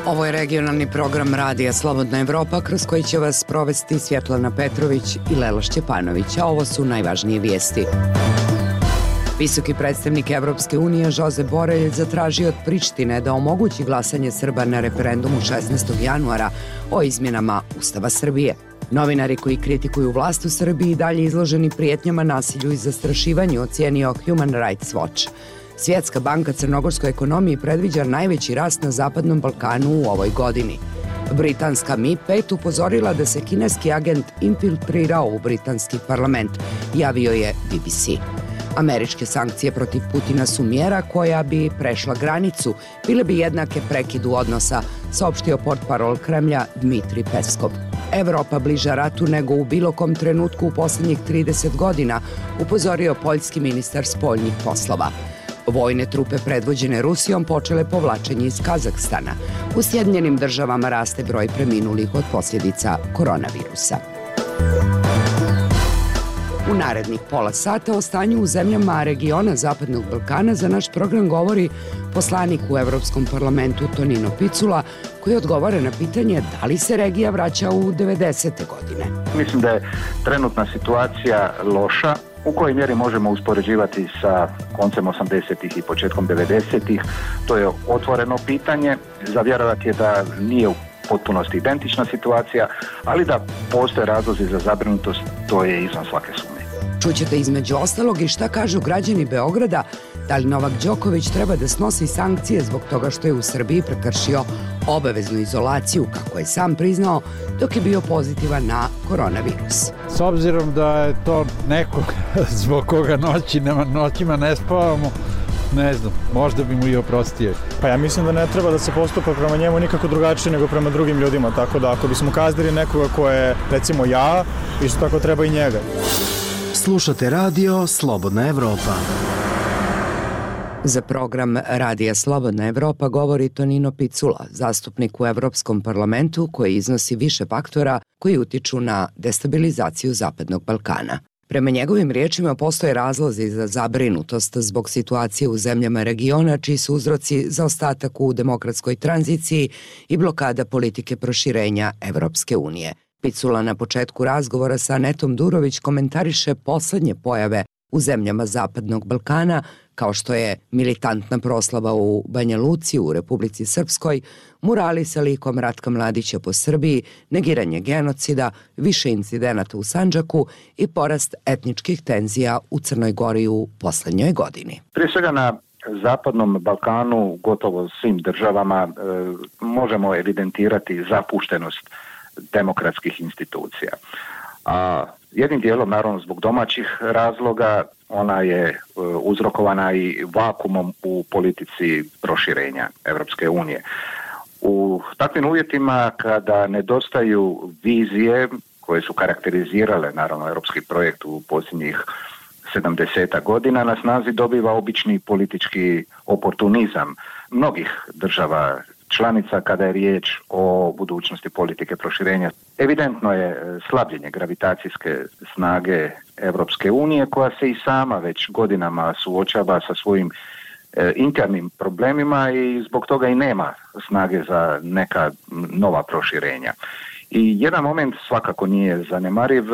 Ovo je regionalni program Radija Slobodna Evropa kroz koji će vas provesti Svjetlana Petrović i Lela Šćepanović, a ovo su najvažnije vijesti. Visoki predstavnik Evropske unije Josep Borrell zatražio od Prištine da omogući glasanje Srba na referendumu 16. januara o izmjenama Ustava Srbije. Novinari koji kritikuju vlast u Srbiji dalje izloženi prijetnjama, nasilju i zastrašivanju, ocijenio Human Rights Watch. Svjetska banka crnogorskoj ekonomiji predviđa najveći rast na Zapadnom Balkanu u ovoj godini. Britanska MI5 upozorila da se kineski agent infiltrirao u britanski parlament, javio je BBC. Američke sankcije protiv Putina su mjera koja bi prešla granicu, bile bi jednake prekidu odnosa, saopštio portparol Kremlja Dmitrij Peskov. Evropa bliža ratu nego u bilo kom trenutku u posljednjih 30 godina, upozorio poljski ministar spoljnih poslova. Vojne trupe predvođene Rusijom počele povlačenje iz Kazahstana. U Sjedinjenim Državama raste broj preminulih od posljedica koronavirusa. U narednih pola sata o stanju u zemljama regiona Zapadnog Balkana za naš program govori poslanik u Evropskom parlamentu Tonino Picula, koji odgovara na pitanje da li se regija vraća u 90. godine. Mislim da je trenutna situacija loša. U kojoj mjeri možemo uspoređivati sa koncem 80-ih i početkom 90-ih, to je otvoreno pitanje. Za vjerovati je da nije u potpunosti identična situacija, ali da postoje razlozi za zabrinutost, to je izvan svake sumnje. Čućete između ostalog i šta kažu građani Beograda, da li Novak Đoković treba da snosi sankcije zbog toga što je u Srbiji prekršio obaveznu izolaciju, kako je sam priznao, dok je bio pozitivan na koronavirus. S obzirom da je to neko zbog koga noćima ne spavamo, ne znam, možda bi mu i oprostio. Pa ja mislim da ne treba da se postupa prema njemu nikako drugačije nego prema drugim ljudima, tako da ako bismo kaznili nekoga ko je, recimo ja, isto tako treba i njega. Slušate radio Slobodna Evropa. Za program Radija Slobodna Evropa govori Tonino Picula, zastupnik u Evropskom parlamentu koji iznosi više faktora koji utiču na destabilizaciju Zapadnog Balkana. Prema njegovim riječima postoje razlozi za zabrinutost zbog situacije u zemljama regiona, čiji su uzroci zaostatak u demokratskoj tranziciji i blokada politike proširenja Evropske unije. Picula na početku razgovora sa Anetom Durović komentariše poslednje pojave u zemljama Zapadnog Balkana, kao što je militantna proslava u Banja Luci u Republici Srpskoj, murali sa likom Ratka Mladića po Srbiji, negiranje genocida, više incidenata u Sandžaku i porast etničkih tenzija u Crnoj Gori u poslednjoj godini. Prije svega na Zapadnom Balkanu, gotovo svim državama, možemo evidentirati zapuštenost demokratskih institucija. A jednim dijelom, naravno zbog domaćih razloga, ona je uzrokovana i vakumom u politici proširenja Evropske unije. U takvim uvjetima, kada nedostaju vizije koje su karakterizirale naravno europski projekt u posljednjih 70 godina, na snazi dobiva obični politički oportunizam mnogih država članica kada je riječ o budućnosti politike proširenja. Evidentno je slabljenje gravitacijske snage Evropske unije, koja se i sama već godinama suočava sa svojim internim problemima i zbog toga i nema snage za neka nova proširenja. I jedan moment svakako nije zanemariv,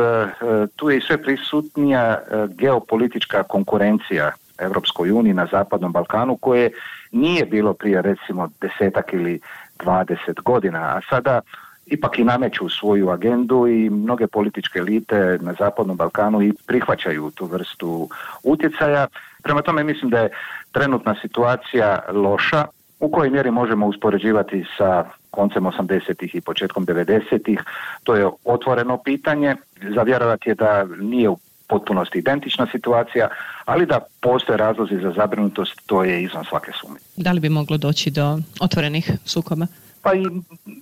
tu je i sve prisutnija geopolitička konkurencija Evropskoj uniji na Zapadnom Balkanu, koje nije bilo prije recimo 10 ili 20 godina, a sada ipak i nameću svoju agendu i mnoge političke elite na Zapadnom Balkanu i prihvaćaju tu vrstu utjecaja. Prema tome mislim da je trenutna situacija loša. U kojoj mjeri možemo uspoređivati sa koncem 80-ih i početkom 90-ih, to je otvoreno pitanje. Za vjerovati je da nije u potpunosti identična situacija, ali da postoje razlozi za zabrinutost, to je izvan svake sumnje. Da li bi moglo doći do otvorenih sukoba? Pa i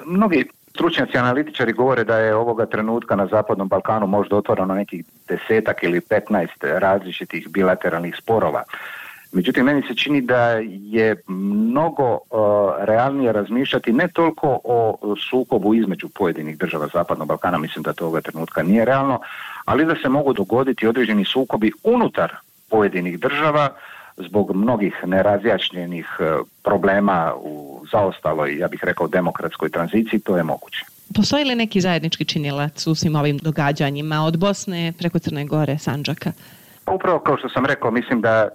mnogi stručnjaci, analitičari govore da je ovoga trenutka na Zapadnom Balkanu možda otvoreno nekih 10 ili 15 različitih bilateralnih sporova. Međutim, meni se čini da je mnogo realnije razmišljati ne toliko o sukobu između pojedinih država Zapadnog Balkana, mislim da to ovoga trenutka nije realno, ali da se mogu dogoditi određeni sukobi unutar pojedinih država zbog mnogih nerazjašnjenih problema u zaostaloj, ja bih rekao, demokratskoj tranziciji, to je moguće. Postoji li neki zajednički činilac u svim ovim događanjima od Bosne preko Crne Gore, Sandžaka? Upravo kao što sam rekao, mislim da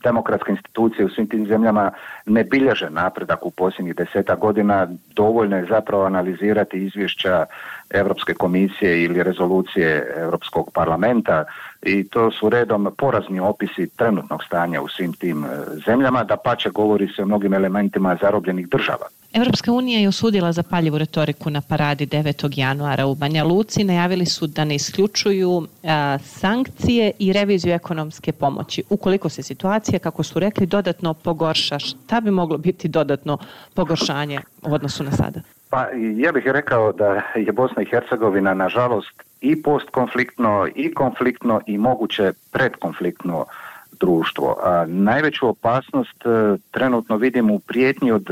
demokratske institucije u svim tim zemljama ne bilježe napredak u posljednjih 10 godina. Dovoljno je zapravo analizirati izvješća Europske komisije ili rezolucije Europskog parlamenta i to su redom porazni opisi trenutnog stanja u svim tim zemljama, dapače govori se o mnogim elementima zarobljenih država. Europska unija je osudila zapaljivu retoriku na paradi 9. januara u Banja Luci. Najavili su da ne isključuju sankcije i reviziju ekonomske pomoći. Ukoliko se situacija, kako su rekli, dodatno pogorša, šta bi moglo biti dodatno pogoršanje u odnosu na sada? Pa ja bih rekao da je Bosna i Hercegovina nažalost i postkonfliktno i konfliktno i moguće predkonfliktno društvo. A najveću opasnost trenutno vidim u prijetnji od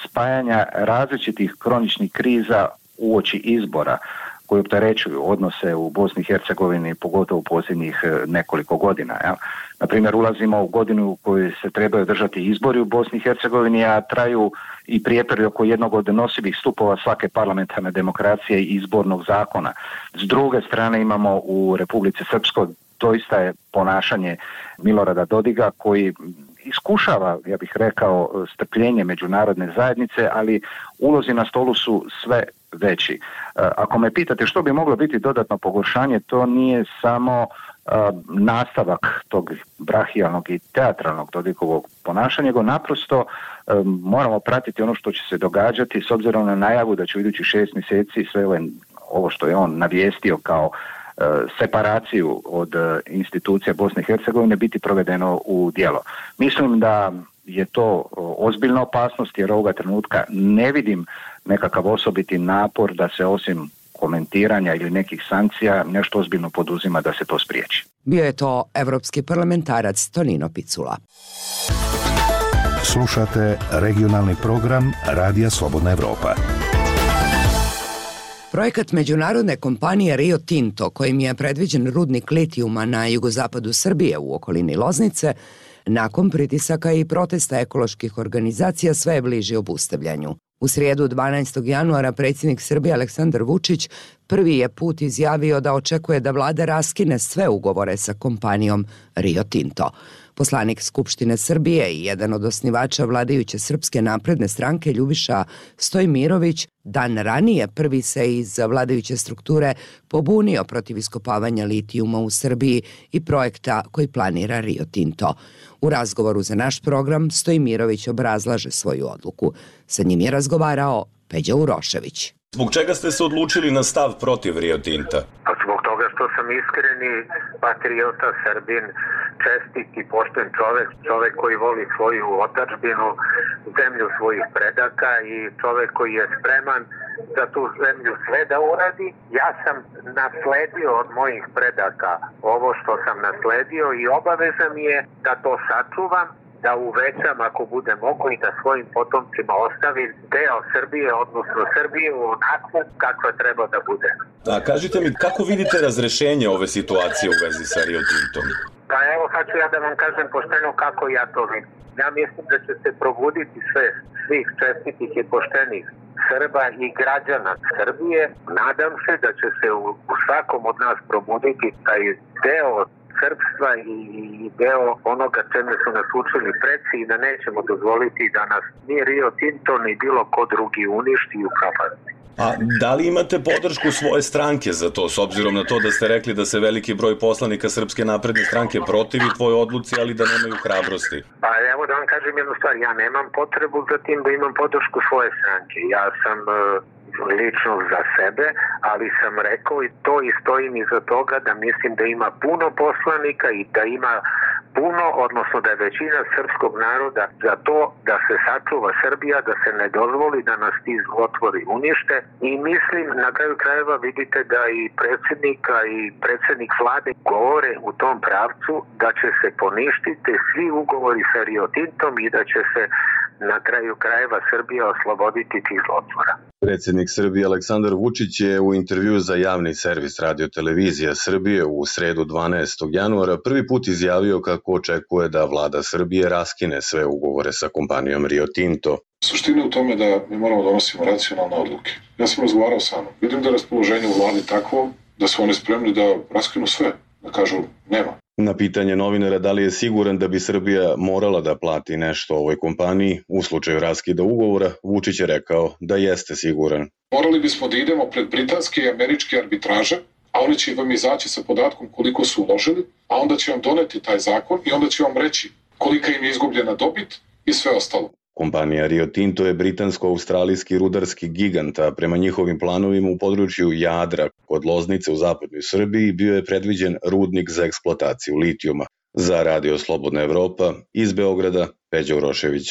spajanja različitih kroničnih kriza uoči izbora koji opterećuju odnose u Bosni i Hercegovini, pogotovo u posljednjih nekoliko godina. Ja. Na primjer, ulazimo u godinu u kojoj se trebaju održati izbori u Bosni i Hercegovini, a traju i prijepori oko jednog od nosivih stupova svake parlamentarne demokracije i izbornog zakona. S druge strane imamo u Republici Srpskoj doista je ponašanje Milorada Dodiga koji iskušava, ja bih rekao, strpljenje međunarodne zajednice, ali ulozi na stolu su sve veći. Ako me pitate što bi moglo biti dodatno pogoršanje, to nije samo nastavak tog brahijalnog i teatralnog Dodigovog ponašanja, nego naprosto moramo pratiti ono što će se događati s obzirom na najavu da će u idućih 6 mjeseci sve ovo što je on navijestio kao separaciju od institucija Bosne i Hercegovine biti provedeno u djelo. Mislim da je to ozbiljna opasnost jer ovoga trenutka ne vidim nekakav osobiti napor da se osim komentiranja ili nekih sankcija nešto ozbiljno poduzima da se to spriječi. Bio je to evropski parlamentarac Tonino Picula. Slušate regionalni program Radija Slobodna Evropa. Projekat međunarodne kompanije Rio Tinto, kojim je predviđen rudnik litijuma na jugozapadu Srbije u okolini Loznice, nakon pritisaka i protesta ekoloških organizacija sve je bliži obustavljanju. U srijedu 12. januara predsjednik Srbije Aleksandar Vučić prvi je put izjavio da očekuje da vlada raskine sve ugovore sa kompanijom Rio Tinto. Poslanik Skupštine Srbije i jedan od osnivača vladajuće Srpske napredne stranke Ljubiša Stojmirović dan ranije prvi se iz vladajuće strukture pobunio protiv iskopavanja litijuma u Srbiji i projekta koji planira Rio Tinto. U razgovoru za naš program Stojmirović obrazlaže svoju odluku. Sa njim je razgovarao Peđa Urošević. Zbog čega ste se odlučili na stav protiv Rio Tinta? Zbog toga što sam iskreni patriota, Srbin, čestit i pošten čovek koji voli svoju otadžbinu, zemlju svojih predaka i čovek koji je spreman za tu zemlju sve da uradi. Ja sam nasledio od mojih predaka ovo što sam nasledio i obaveza mi je da to sačuvam, da uvećam ako bude mogo i da svojim potomcima ostavim deo Srbije, odnosno Srbije onako kakva treba da bude. A kažite mi, kako vidite razrešenje ove situacije u vezi sa Rio Tintom? Pa evo sad ću ja da vam kažem pošteno kako ja to vidim. Ja mislim da će se probuditi svih čestitih i poštenih Srba i građana Srbije. Nadam se da će se u svakom od nas probuditi taj deo srpstva i deo onoga čemu su nas učili preci i da nećemo dozvoliti da nas ni Rio Tinto ni bilo ko drugi uništi i upropasti. A da li imate podršku svoje stranke za to, s obzirom na to da ste rekli da se veliki broj poslanika Srpske napredne stranke protivi tvojoj odluci, ali da nemaju hrabrosti? Pa evo da vam kažem jednu stvar, ja nemam potrebu za tim da imam podršku svoje stranke. Ja sam lično za sebe, ali sam rekao i to i stojim iza toga da mislim da ima puno poslanika i da ima puno, odnosno da je većina srpskog naroda za to da se sačuva Srbija, da se ne dozvoli da nas ti zlotvori unište i mislim na kraju krajeva vidite da i predsjednika i predsjednik vlade govore u tom pravcu da će se poništiti svi ugovori sa Rio Tintom i da će se na kraju krajeva Srbija osloboditi tih zlotvora. Predsjednik Srbije Aleksandar Vučić je u intervju za javni servis Radio-televizija Srbije u sredu 12. januara prvi put izjavio kako očekuje da vlada Srbije raskine sve ugovore sa kompanijom Rio Tinto. Suština je u tome da mi moramo donositi racionalne odluke. Ja sam razgovarao sa mnom. Vidim da je raspoloženje u vladi takvo da su oni spremni da raskinu sve, da kažu nema. Na pitanje novinara da li je siguran da bi Srbija morala da plati nešto ovoj kompaniji u slučaju raskida ugovora, Vučić je rekao da jeste siguran. Morali bismo da idemo pred britanske i američke arbitraže, a oni će vam izaći sa podatkom koliko su uložili, a onda će vam doneti taj zakon i onda će vam reći kolika im je izgubljena dobit i sve ostalo. Kompanija Rio Tinto je britansko-australijski rudarski gigant, a prema njihovim planovima u području Jadra kod Loznice u zapadnoj Srbiji bio je predviđen rudnik za eksploataciju litijuma. Za Radio Slobodna Evropa, iz Beograda, Peđa Urošević.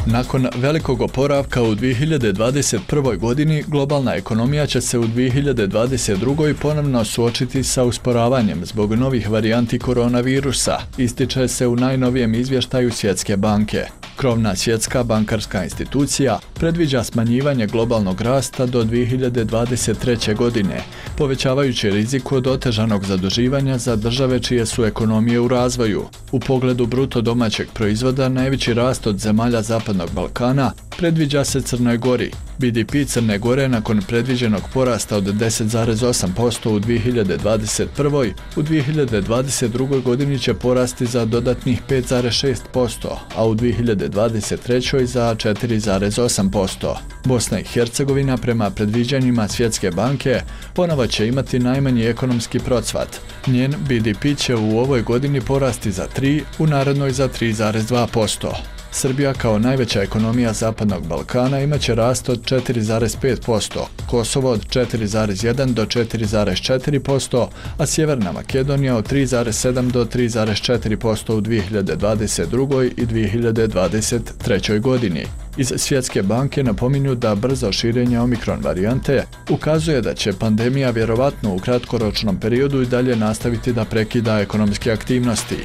Nakon velikog oporavka u 2021. godini, globalna ekonomija će se u 2022. ponovno suočiti sa usporavanjem zbog novih varijanti koronavirusa, ističe se u najnovijem izvještaju Svjetske banke. Krovna svjetska bankarska institucija predviđa smanjivanje globalnog rasta do 2023. godine, povećavajući rizik od otežanog zaduživanja za države čije su ekonomije u razvoju. U pogledu bruto domaćeg proizvoda najveći rast od zemalja Zapadnog Balkana predviđa se Crnoj Gori. BDP Crne Gore nakon predviđenog porasta od 10,8% u 2021. u 2022. godini će porasti za dodatnih 5,6%, a u 2023. za 4,8%. Bosna i Hercegovina prema predviđanjima Svjetske banke ponovo će imati najmanji ekonomski procvat. Njen BDP će u ovoj godini porasti za 3, u narednoj za 3,2%. Srbija kao najveća ekonomija Zapadnog Balkana imaće rast od 4,5%, Kosovo od 4,1 do 4,4%, a Sjeverna Makedonija od 3,7 do 3,4% u 2022. i 2023. godini. Iz Svjetske banke napominju da brzo širenje omikron varijante ukazuje da će pandemija vjerovatno u kratkoročnom periodu i dalje nastaviti da prekida ekonomske aktivnosti.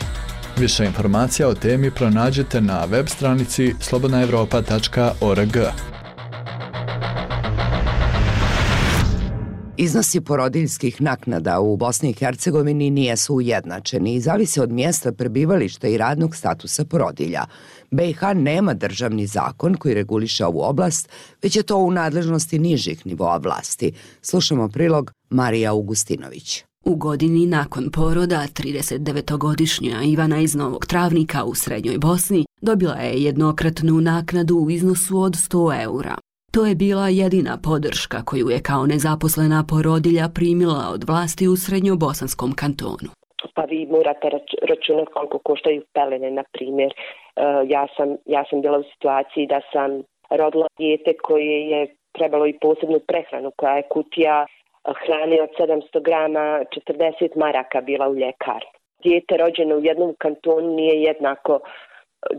Više informacija o temi pronađete na web stranici slobodnaevropa.org. Iznosi porodiljskih naknada u Bosni i Hercegovini nisu ujednačeni i zavise od mjesta prebivališta i radnog statusa porodilja. BiH nema državni zakon koji reguliše ovu oblast, već je to u nadležnosti nižih nivoa vlasti. Slušamo prilog Marija Augustinović. U godini nakon poroda 39-godišnja Ivana iz Novog Travnika u Srednjoj Bosni dobila je jednokratnu naknadu u iznosu od 100 eura. To je bila jedina podrška koju je kao nezaposlena porodilja primila od vlasti u Srednjobosanskom kantonu. Pa vi morate računati koliko koštaju pelene, na primjer. Ja sam bila u situaciji da sam rodila dijete koje je trebalo i posebnu prehranu, koja je kutija hrane od 700 grama, 40 maraka bila u ljekarni. Dijete rođeno u jednom kantonu nije jednako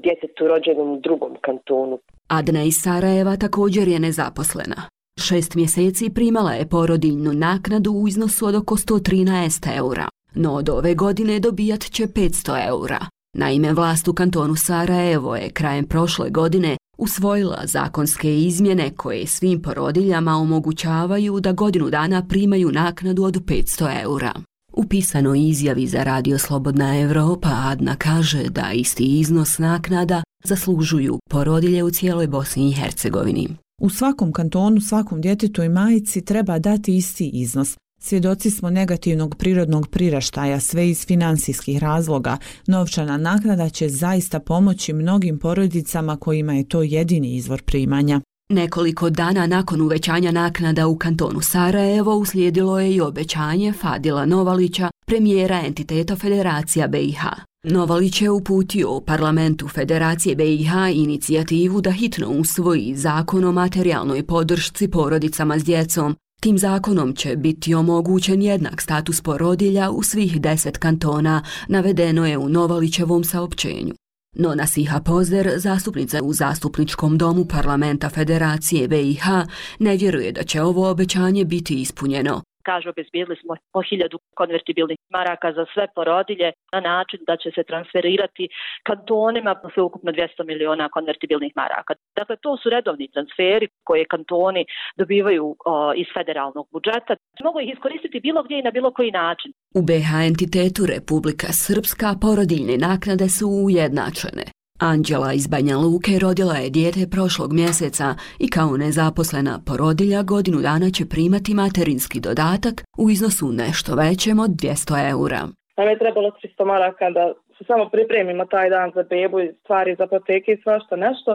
djetetu rođenom u drugom kantonu. Adna iz Sarajeva također je nezaposlena. 6 mjeseci primala je porodiljnu naknadu u iznosu od oko 113 eura, no od ove godine dobijat će 500 eura. Naime, vlast u kantonu Sarajevo je krajem prošle godine usvojila zakonske izmjene koje svim porodiljama omogućavaju da godinu dana primaju naknadu od 500 eura. U pisanoj izjavi za Radio Slobodna Evropa Adna kaže da isti iznos naknada zaslužuju porodilje u cijeloj Bosni i Hercegovini. U svakom kantonu, svakom djetetu i majici treba dati isti iznos. Svjedoci smo negativnog prirodnog priraštaja, sve iz financijskih razloga. Novčana naknada će zaista pomoći mnogim porodicama kojima je to jedini izvor primanja. Nekoliko dana nakon uvećanja naknada u kantonu Sarajevo uslijedilo je i obećanje Fadila Novalića, premijera entiteta Federacija BiH. Novalić je uputio u parlamentu Federacije BiH inicijativu da hitno usvoji zakon o materijalnoj podršci porodicama s djecom. Tim zakonom će biti omogućen jednak status porodilja u svih 10 kantona, navedeno je u Novalićevom saopćenju. No Nasiha Pozder, zastupnica u Zastupničkom domu parlamenta Federacije BiH, ne vjeruje da će ovo obećanje biti ispunjeno. Kaže, obezbijedili smo po 1000 konvertibilnih maraka za sve porodilje na način da će se transferirati kantonima sve ukupno 200 miliona konvertibilnih maraka. Dakle, to su redovni transferi koje kantoni dobivaju iz federalnog budžeta. Mogu ih iskoristiti bilo gdje i na bilo koji način. U BiH entitetu Republika Srpska porodiljne naknade su ujednačene. Anđela iz Banja Luke rodila je dijete prošlog mjeseca i kao nezaposlena porodilja godinu dana će primati materinski dodatak u iznosu nešto većem od 200 eura. Nam je trebalo 300 maraka da se samo pripremimo taj dan za bebu i stvari za apoteke i svašta nešto.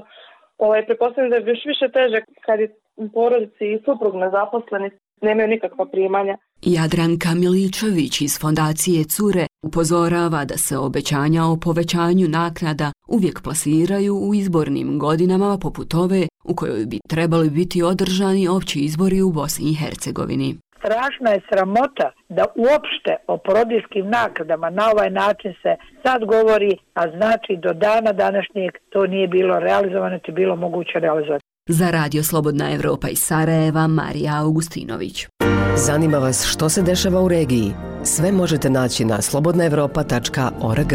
Pretpostavljam da je još više teže kad je u porodici i suprug nezaposleni, nemaju nikakva primanja. Jadranka Miličević iz fondacije Cure upozorava da se obećanja o povećanju naknada uvijek plasiraju u izbornim godinama poput ove u kojoj bi trebali biti održani opći izbori u Bosni i Hercegovini. Strašna je sramota da uopšte o porodiljskim naknadama na ovaj način se sad govori, a znači do dana današnjeg to nije bilo realizovano, to je bilo moguće realizovati. Za Radio Slobodna Evropa iz Sarajeva, Marija Augustinović. Zanima vas što se dešava u regiji? Sve možete naći na slobodnaevropa.org.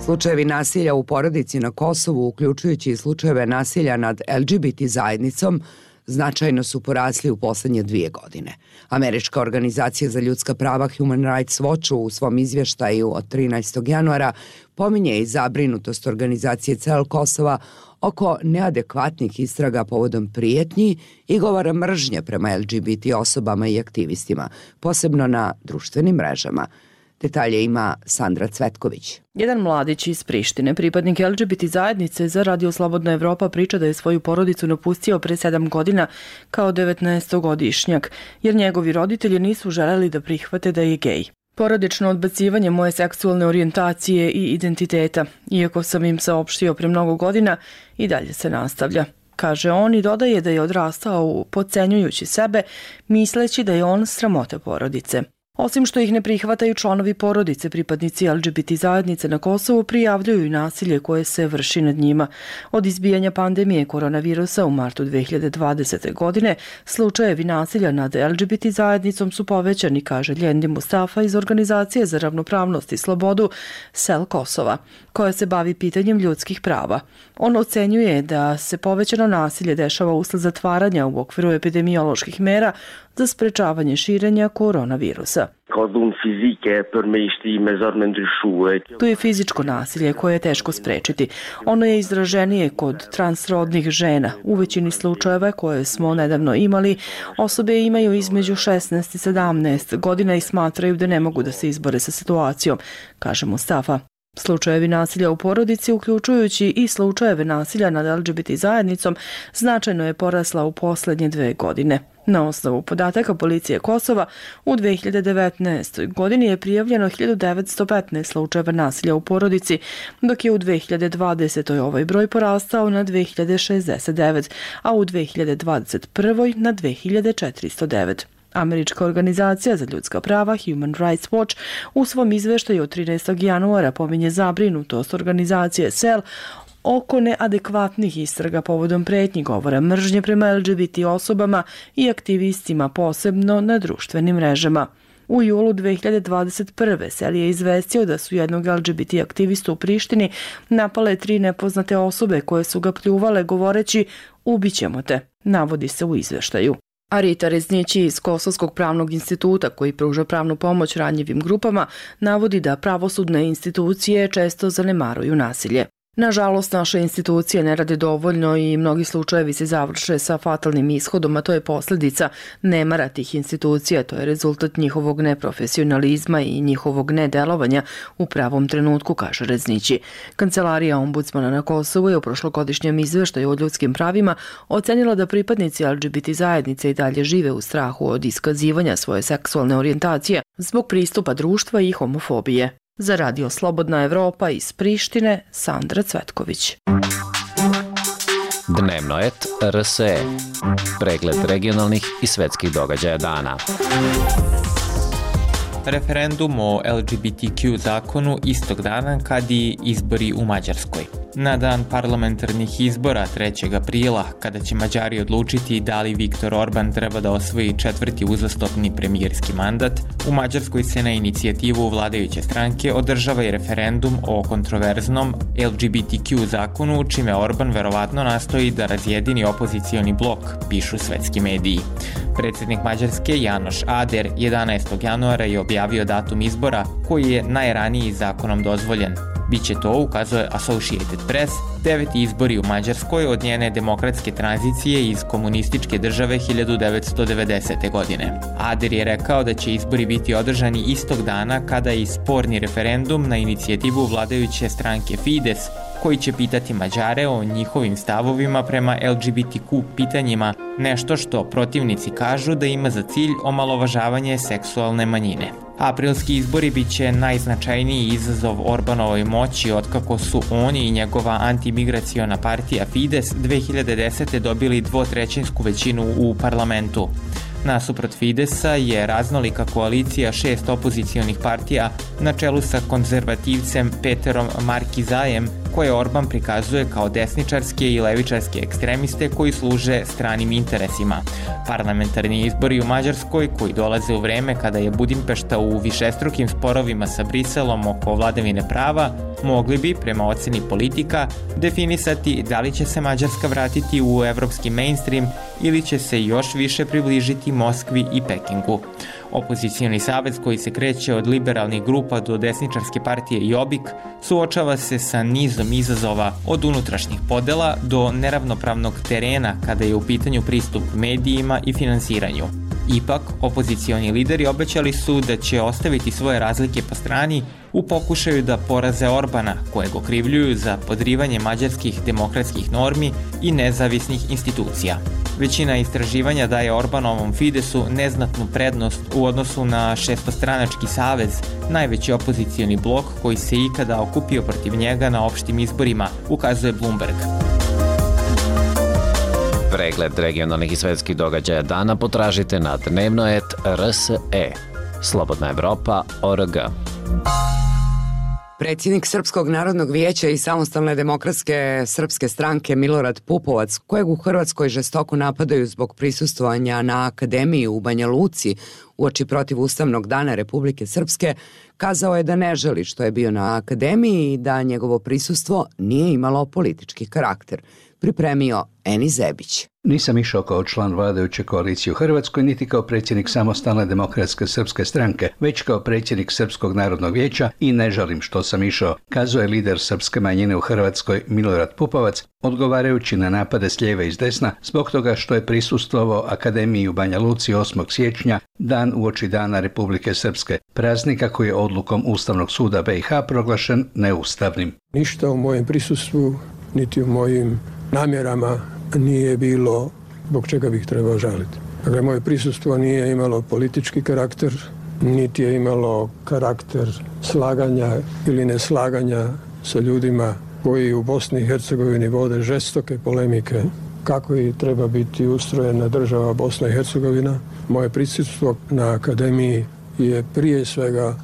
Slučajevi nasilja u porodici na Kosovu, uključujući i slučajeve nasilja nad LGBT zajednicom, značajno su porasli u posljednje 2 godine. Američka organizacija za ljudska prava Human Rights Watch u svom izvještaju od 13. januara pominje i zabrinutost organizacije Cel Kosova oko neadekvatnih istraga povodom prijetnji i govora mržnje prema LGBT osobama i aktivistima, posebno na društvenim mrežama. Detalje ima Sandra Cvetković. Jedan mladić iz Prištine, pripadnik LGBT zajednice za Radio Slobodna Evropa, priča da je svoju porodicu napustio pre 7 godina kao 19-godišnjak, jer njegovi roditelji nisu želeli da prihvate da je gej. Porodično odbacivanje moje seksualne orijentacije i identiteta, iako sam im saopštio pre mnogo godina, i dalje se nastavlja. Kaže on i dodaje da je odrastao podcenjujući sebe, misleći da je on sramota porodice. Osim što ih ne prihvataju članovi porodice, pripadnici LGBT zajednice na Kosovu prijavljuju i nasilje koje se vrši nad njima. Od izbijanja pandemije koronavirusa u martu 2020. godine, slučajevi nasilja nad LGBT zajednicom su povećani, kaže Ljendi Mustafa iz Organizacije za ravnopravnost i slobodu Cel Kosova, koja se bavi pitanjem ljudskih prava. On ocenjuje da se povećano nasilje dešava usled zatvaranja u okviru epidemioloških mera za sprečavanje širenja koronavirusa. Tu je fizičko nasilje koje je teško sprečiti. Ono je izraženije kod transrodnih žena. U većini slučajeva koje smo nedavno imali, osobe imaju između 16 i 17 godina i smatraju da ne mogu da se izbore sa situacijom, kaže Mustafa. Slučajevi nasilja u porodici, uključujući i slučajeve nasilja nad LGBT zajednicom, značajno je porasla u posljednje 2 godine. Na osnovu podataka policije Kosova, u 2019. godini je prijavljeno 1915 slučajeva nasilja u porodici, dok je u 2020. ovaj broj porastao na 2069, a u 2021. na 2409. Američka organizacija za ljudska prava Human Rights Watch u svom izveštaju od 13. januara pominje zabrinutost organizacije Cel oko neadekvatnih istraga povodom pretnji govora mržnje prema LGBT osobama i aktivistima, posebno na društvenim mrežama. U julu 2021. Cel je izvestio da su jednog LGBT aktivistu u Prištini napale 3 nepoznate osobe koje su ga pljuvale govoreći "ubićemo te", navodi se u izveštaju. Arita Reznići iz Kosovskog pravnog instituta, koji pruža pravnu pomoć ranjivim grupama, navodi da pravosudne institucije često zanemaruju nasilje. Nažalost, naše institucije ne rade dovoljno i mnogi slučajevi se završe sa fatalnim ishodom, a to je posljedica nemara tih institucija, to je rezultat njihovog neprofesionalizma i njihovog nedelovanja u pravom trenutku, kaže Reznići. Kancelarija ombudsmana na Kosovu je u prošlogodišnjem izveštaju o ljudskim pravima ocenila da pripadnici LGBT zajednice i dalje žive u strahu od iskazivanja svoje seksualne orijentacije zbog pristupa društva i homofobije. Za Radio Slobodna Evropa iz Prištine, Sandra Cvetković. Dnevno et RSE. Pregled regionalnih i svetskih događaja dana. Referendum o LGBTQ zakonu istog dana kad i izbori u Mađarskoj. na dan parlamentarnih izbora 3. aprila, kada će Mađari odlučiti da li Viktor Orban treba da osvoji 4. uzastopni premijerski mandat, u Mađarskoj se na inicijativu vladajuće stranke održava i referendum o kontroverznom LGBTQ zakonu, čime Orban verovatno nastoji da razjedini opozicioni blok, pišu svetski mediji. Predsjednik Mađarske Janoš Ader 11. januara je objavio datum izbora koji je najraniji zakonom dozvoljen. Biće to, ukazuje Associated Press, 9. izbori u Mađarskoj od njene demokratske tranzicije iz komunističke države 1990. godine. Ader je rekao da će izbori biti održani istog dana kada je sporni referendum na inicijativu vladajuće stranke Fides, koji će pitati Mađare o njihovim stavovima prema LGBTQ pitanjima, nešto što protivnici kažu da ima za cilj omalovažavanje seksualne manjine. Aprilski izbori bit će najznačajniji izazov Orbanovoj moći otkako su oni i njegova antimigraciona partija Fides 2010. dobili 2/3 većinu u parlamentu. Nasuprot Fidesa je raznolika koalicija 6 opozicionih partija na čelu sa konzervativcem Peterom Markizajem, koje Orban prikazuje kao desničarske i levičarske ekstremiste koji služe stranim interesima. Parlamentarni izbori u Mađarskoj, koji dolaze u vreme kada je Budimpešta u višestrukim sporovima sa Briselom oko vladavine prava, mogli bi, prema oceni politika, definisati da li će se Mađarska vratiti u evropski mainstream ili će se još više približiti Moskvi i Pekingu. Opozicioni savez, koji se kreće od liberalnih grupa do desničarske partije Jobbik, suočava se sa nizom izazova, od unutrašnjih podela do neravnopravnog terena kada je u pitanju pristup medijima i finansiranju. Ipak, opozicioni lideri obećali su da će ostaviti svoje razlike po strani u pokušaju da poraze Orbana, kojeg okrivljuju za podrivanje mađarskih demokratskih normi i nezavisnih institucija. Većina istraživanja daje Orbanovom Fidesu neznatnu prednost u odnosu na šestostranački savez, najveći opozicioni blok koji se ikada okupio protiv njega na opštim izborima, ukazuje Bloomberg. Pregled regionalnih i svetskih događaja dana potražite na dnevnoet.rse. Slobodna Evropa.org. Predsjednik Srpskog narodnog vijeća i Samostalne demokratske srpske stranke Milorad Pupovac, kojeg u Hrvatskoj žestoko napadaju zbog prisustvovanja na Akademiji u Banja Luci uoči protivustavnog dana Republike Srpske, kazao je da ne želi što je bio na Akademiji i da njegovo prisustvo nije imalo politički karakter. Pripremio Eni Zebić. Nisam išao kao član vladajuće koalicije u Hrvatskoj, niti kao predsjednik Samostalne demokratske srpske stranke, već kao predsjednik Srpskog narodnog vijeća i ne žalim što sam išao, kazuje lider srpske manjine u Hrvatskoj Milorad Pupovac, odgovarajući na napade s lijeve i s desna zbog toga što je prisustvovao Akademiji u Banja Luci 8. siječnja, dan uoči Dana Republike Srpske, praznika koji je odlukom Ustavnog suda BiH proglašen neustavnim. Ništa u mojem prisustvu, niti u mojim namjerama nije bilo zbog čega bih trebao žaliti. Dakle, moje prisustvo nije imalo politički karakter, niti je imalo karakter slaganja ili neslaganja sa ljudima koji u Bosni i Hercegovini vode žestoke polemike kako i treba biti ustrojena država Bosna i Hercegovina. Moje prisustvo na Akademiji je prije svega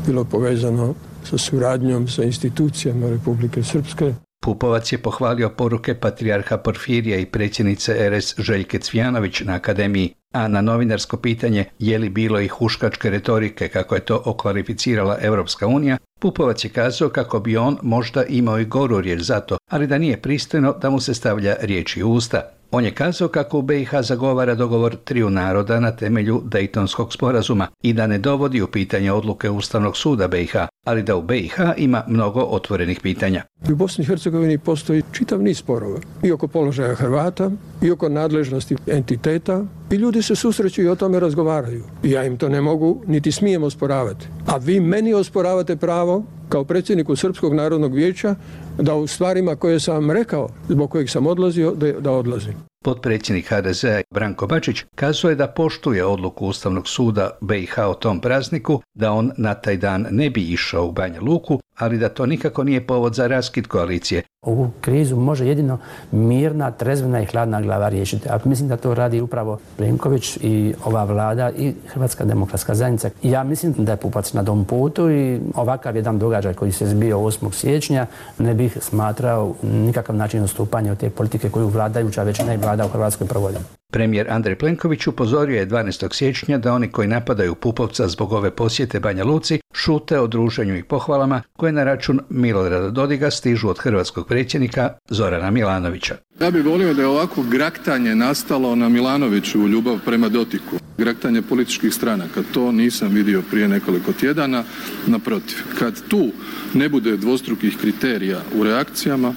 bilo povezano sa suradnjom sa institucijama Republike Srpske. Pupovac je pohvalio poruke patrijarha Porfirija i predsjednice RS Željke Cvijanović na Akademiji, a na novinarsko pitanje je li bilo i huškačke retorike kako je to okvalificirala Europska unija, Pupovac je kazao kako bi on možda imao i goru riječ za to, ali da nije pristojno da mu se stavlja riječi u usta. On je kazao kako u BiH zagovara dogovor triju naroda na temelju Dejtonskog sporazuma i da ne dovodi u pitanje odluke Ustavnog suda BiH, ali da u BiH ima mnogo otvorenih pitanja. U Bosni i Hercegovini postoji čitav niz sporova i oko položaja Hrvata i oko nadležnosti entiteta i ljudi se susreću i o tome razgovaraju. I ja im to ne mogu niti smijem osporavati. A vi meni osporavate pravo kao predsjedniku Srpskog narodnog vijeća da u stvarima koje sam vam rekao, zbog kojih sam odlazio, da odlazim. Potpredsjednik HDZ-a Branko Bačić kazao je da poštuje odluku Ustavnog suda BiH o tom prazniku, da on na taj dan ne bi išao u Banja Luku, ali da to nikako nije povod za raskid koalicije. Ovu krizu može jedino mirna, trezvena i hladna glava riješiti. A mislim da to radi upravo Plenković i ova vlada i Hrvatska demokratska zajednica. Ja mislim da je Pupovac na tom putu i ovakav jedan događaj koji se zbio 8. siječnja ne bih smatrao nikakav način odstupanja od te politike koju vladajuća većina i vlada u Hrvatskoj provodi. Premijer Andrej Plenković upozorio je 12. siječnja da oni koji napadaju Pupovca zbog ove posjete Banja Luci šute o druženju i pohvalama koje na račun Milorada Dodiga stižu od hrvatskog predsjednika Zorana Milanovića. Ja bih volio da je ovako graktanje nastalo na Milanoviću u ljubav prema Dodigu. Graktanje političkih stranaka, to nisam vidio prije nekoliko tjedana. Naprotiv, kad tu ne bude dvostrukih kriterija u reakcijama,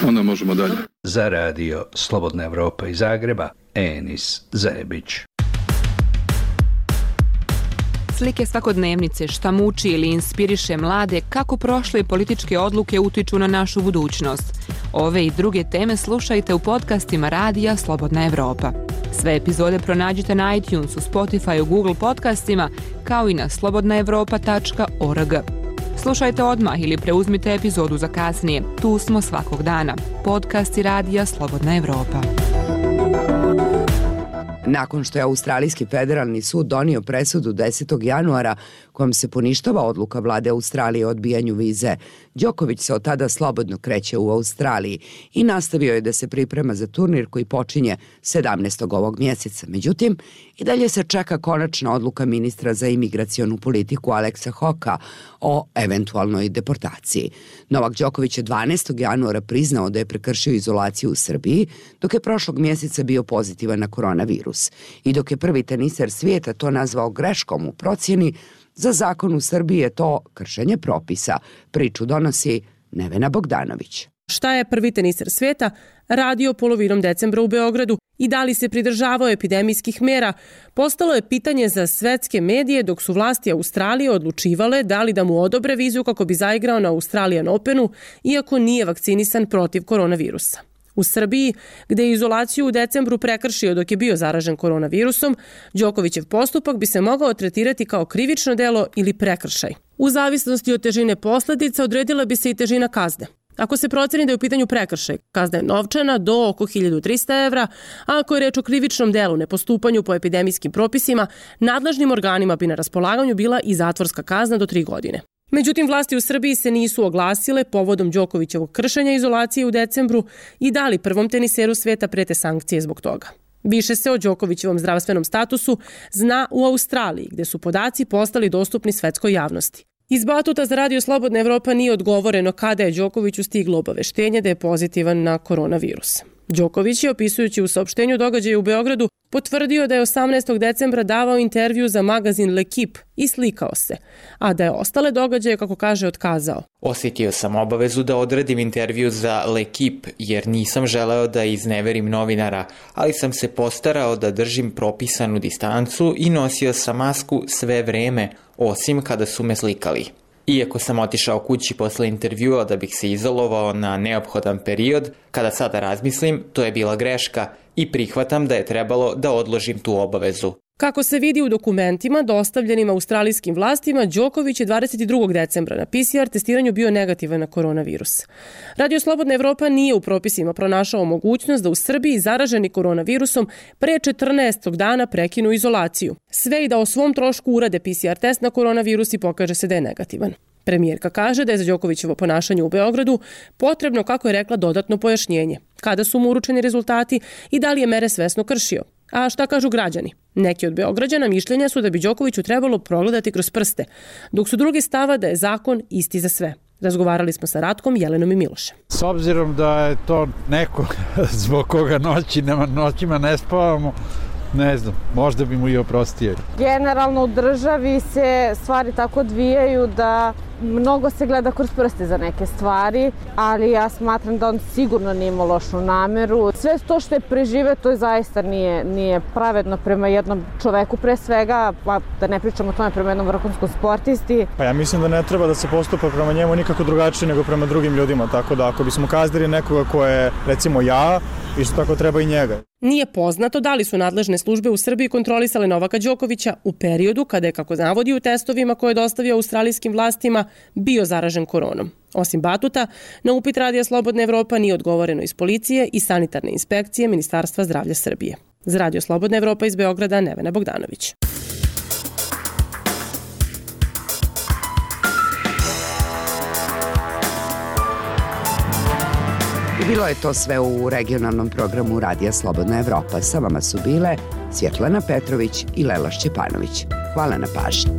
onda možemo dalje. Za radio Slobodna Evropa iz Zagreba, Enis Zebić. Slike svakodnevnice, šta muči ili inspiriše mlade, kako prošle političke odluke utiču na našu budućnost. Ove i druge teme slušajte u podcastima Radija Slobodna Evropa. Sve epizode pronađite na iTunesu, Spotifyu, Google podcastima, kao i na slobodnaevropa.org. Slušajte odmah ili preuzmite epizodu za kasnije. Tu smo svakog dana. Podcasti Radija Slobodna Evropa. Nakon što je Australijski federalni sud donio presudu 10. januara kojom se poništava odluka vlade Australije o odbijanju vize, Đoković se od tada slobodno kreće u Australiji i nastavio je da se priprema za turnir koji počinje 17. ovog mjeseca. Međutim, i dalje se čeka konačna odluka ministra za imigracionu politiku Aleksa Hoka o eventualnoj deportaciji. Novak Đoković je 12. januara priznao da je prekršio izolaciju u Srbiji, dok je prošlog mjeseca bio pozitivan na koronavirus. I dok je prvi teniser svijeta to nazvao greškom u procjeni, za zakon u Srbiji je to kršenje propisa. Priču donosi Nevena Bogdanović. Šta je prvi teniser svijeta radio polovinom decembra u Beogradu i da li se pridržavao epidemijskih mera, postalo je pitanje za svetske medije dok su vlasti Australije odlučivale da li da mu odobre vizu kako bi zaigrao na Australian Openu, iako nije vakcinisan protiv koronavirusa. U Srbiji, gde je izolaciju u decembru prekršio dok je bio zaražen koronavirusom, Đokovićev postupak bi se mogao tretirati kao krivično delo ili prekršaj. U zavisnosti od težine posljedica odredila bi se i težina kazne. Ako se proceni da je u pitanju prekršaj, kazna je novčana do oko 1300 evra, a ako je reč o krivičnom delu nepostupanju po epidemijskim propisima, nadležnim organima bi na raspolaganju bila i zatvorska kazna do 3 godine. Međutim, vlasti u Srbiji se nisu oglasile povodom Đokovićevog kršenja izolacije u decembru i dali prvom teniseru svijeta prete sankcije zbog toga. Više se o Đokovićevom zdravstvenom statusu zna u Australiji, gde su podaci postali dostupni svetskoj javnosti. Iz Batuta za Radio Slobodna Evropa nije odgovoreno kada je Đokoviću stiglo obaveštenje da je pozitivan na koronavirus. Đoković je, opisujući u saopštenju događaja u Beogradu, potvrdio da je 18. decembra davao intervju za magazin L'Equipe i slikao se, a da je ostale događaje, kako kaže, otkazao. Osjetio sam obavezu da odredim intervju za L'Equipe jer nisam želeo da izneverim novinara, ali sam se postarao da držim propisanu distancu i nosio sam masku sve vreme, osim kada su me slikali. Iako sam otišao kući posle intervjua da bih se izolovao na neophodan period, kada sada razmislim, to je bila greška i prihvatam da je trebalo da odložim tu obavezu. Kako se vidi u dokumentima dostavljenim australijskim vlastima, Đoković je 22. decembra na PCR testiranju bio negativan na koronavirus. Radio Slobodna Evropa nije u propisima pronašao mogućnost da u Srbiji zaraženi koronavirusom pre 14. dana prekinu izolaciju. Sve i da o svom trošku urade PCR test na koronavirus i pokaže se da je negativan. Premijerka kaže da je za Đokovićevo ponašanje u Beogradu potrebno, kako je rekla, dodatno pojašnjenje. Kada su mu uručeni rezultati i da li je mere svesno kršio. A šta kažu građani? Neki od Beograđana mišljenja su da bi Đokoviću trebalo progledati kroz prste, dok su drugi stava da je zakon isti za sve. Razgovarali smo sa Ratkom, Jelenom i Milošem. S obzirom da je to neko zbog koga noćima ne spavamo, ne znam, možda bi mu i oprostio. Generalno u državi se stvari tako odvijaju da mnogo se gleda kroz prste za neke stvari, ali ja smatram da on sigurno nije imao lošu nameru. Sve to što je prežive, to zaista nije pravedno prema jednom čoveku pre svega, pa da ne pričamo o tome prema jednom vrhunskom sportisti. Pa ja mislim da ne treba da se postupa prema njemu nikako drugačije nego prema drugim ljudima, tako da ako bismo kaznili nekoga ko je, recimo ja, isto tako treba i njega. Nije poznato da li su nadležne službe u Srbiji kontrolisale Novaka Đokovića u periodu kada je, kako navodi u testovima koje je dostavio australijskim vlastima, bio zaražen koronom. Osim batuta, na upit Radija Slobodna Evropa nije odgovoreno iz policije i sanitarne inspekcije Ministarstva zdravlja Srbije. Za Radio Slobodna Evropa iz Beograda, Nevena Bogdanović. I bilo je to sve u regionalnom programu Radija Slobodna Evropa. Sa vama su bile Svjetlana Petrović i Lela Šćepanović. Hvala na pažnji.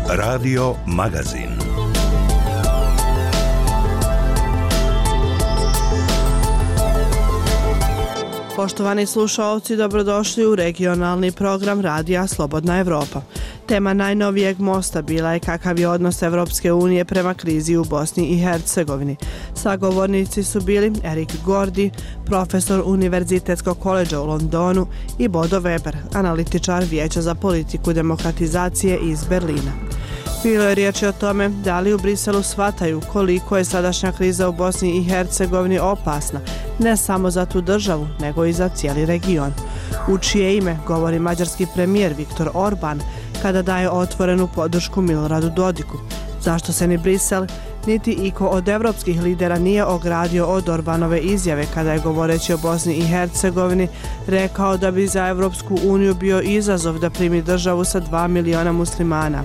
Radio Magazin. Poštovani slušaoci, dobrodošli u regionalni program Radija Slobodna Evropa. Tema najnovijeg mosta bila je kakav je odnos Evropske unije prema krizi u Bosni i Hercegovini. Sagovornici su bili Erik Gordi, profesor Univerzitetskog koledža u Londonu, i Bodo Weber, analitičar Vijeća za politiku demokratizacije iz Berlina. Bilo je riječi o tome da li u Briselu shvataju koliko je sadašnja kriza u Bosni i Hercegovini opasna, ne samo za tu državu, nego i za cijeli region. U čije ime govori mađarski premijer Viktor Orban kada daje otvorenu podršku Miloradu Dodiku. Zašto se ni Brisel, niti iko od evropskih lidera nije ogradio od Orbanove izjave kada je, govoreći o Bosni i Hercegovini, rekao da bi za Evropsku uniju bio izazov da primi državu sa 2 miliona muslimana.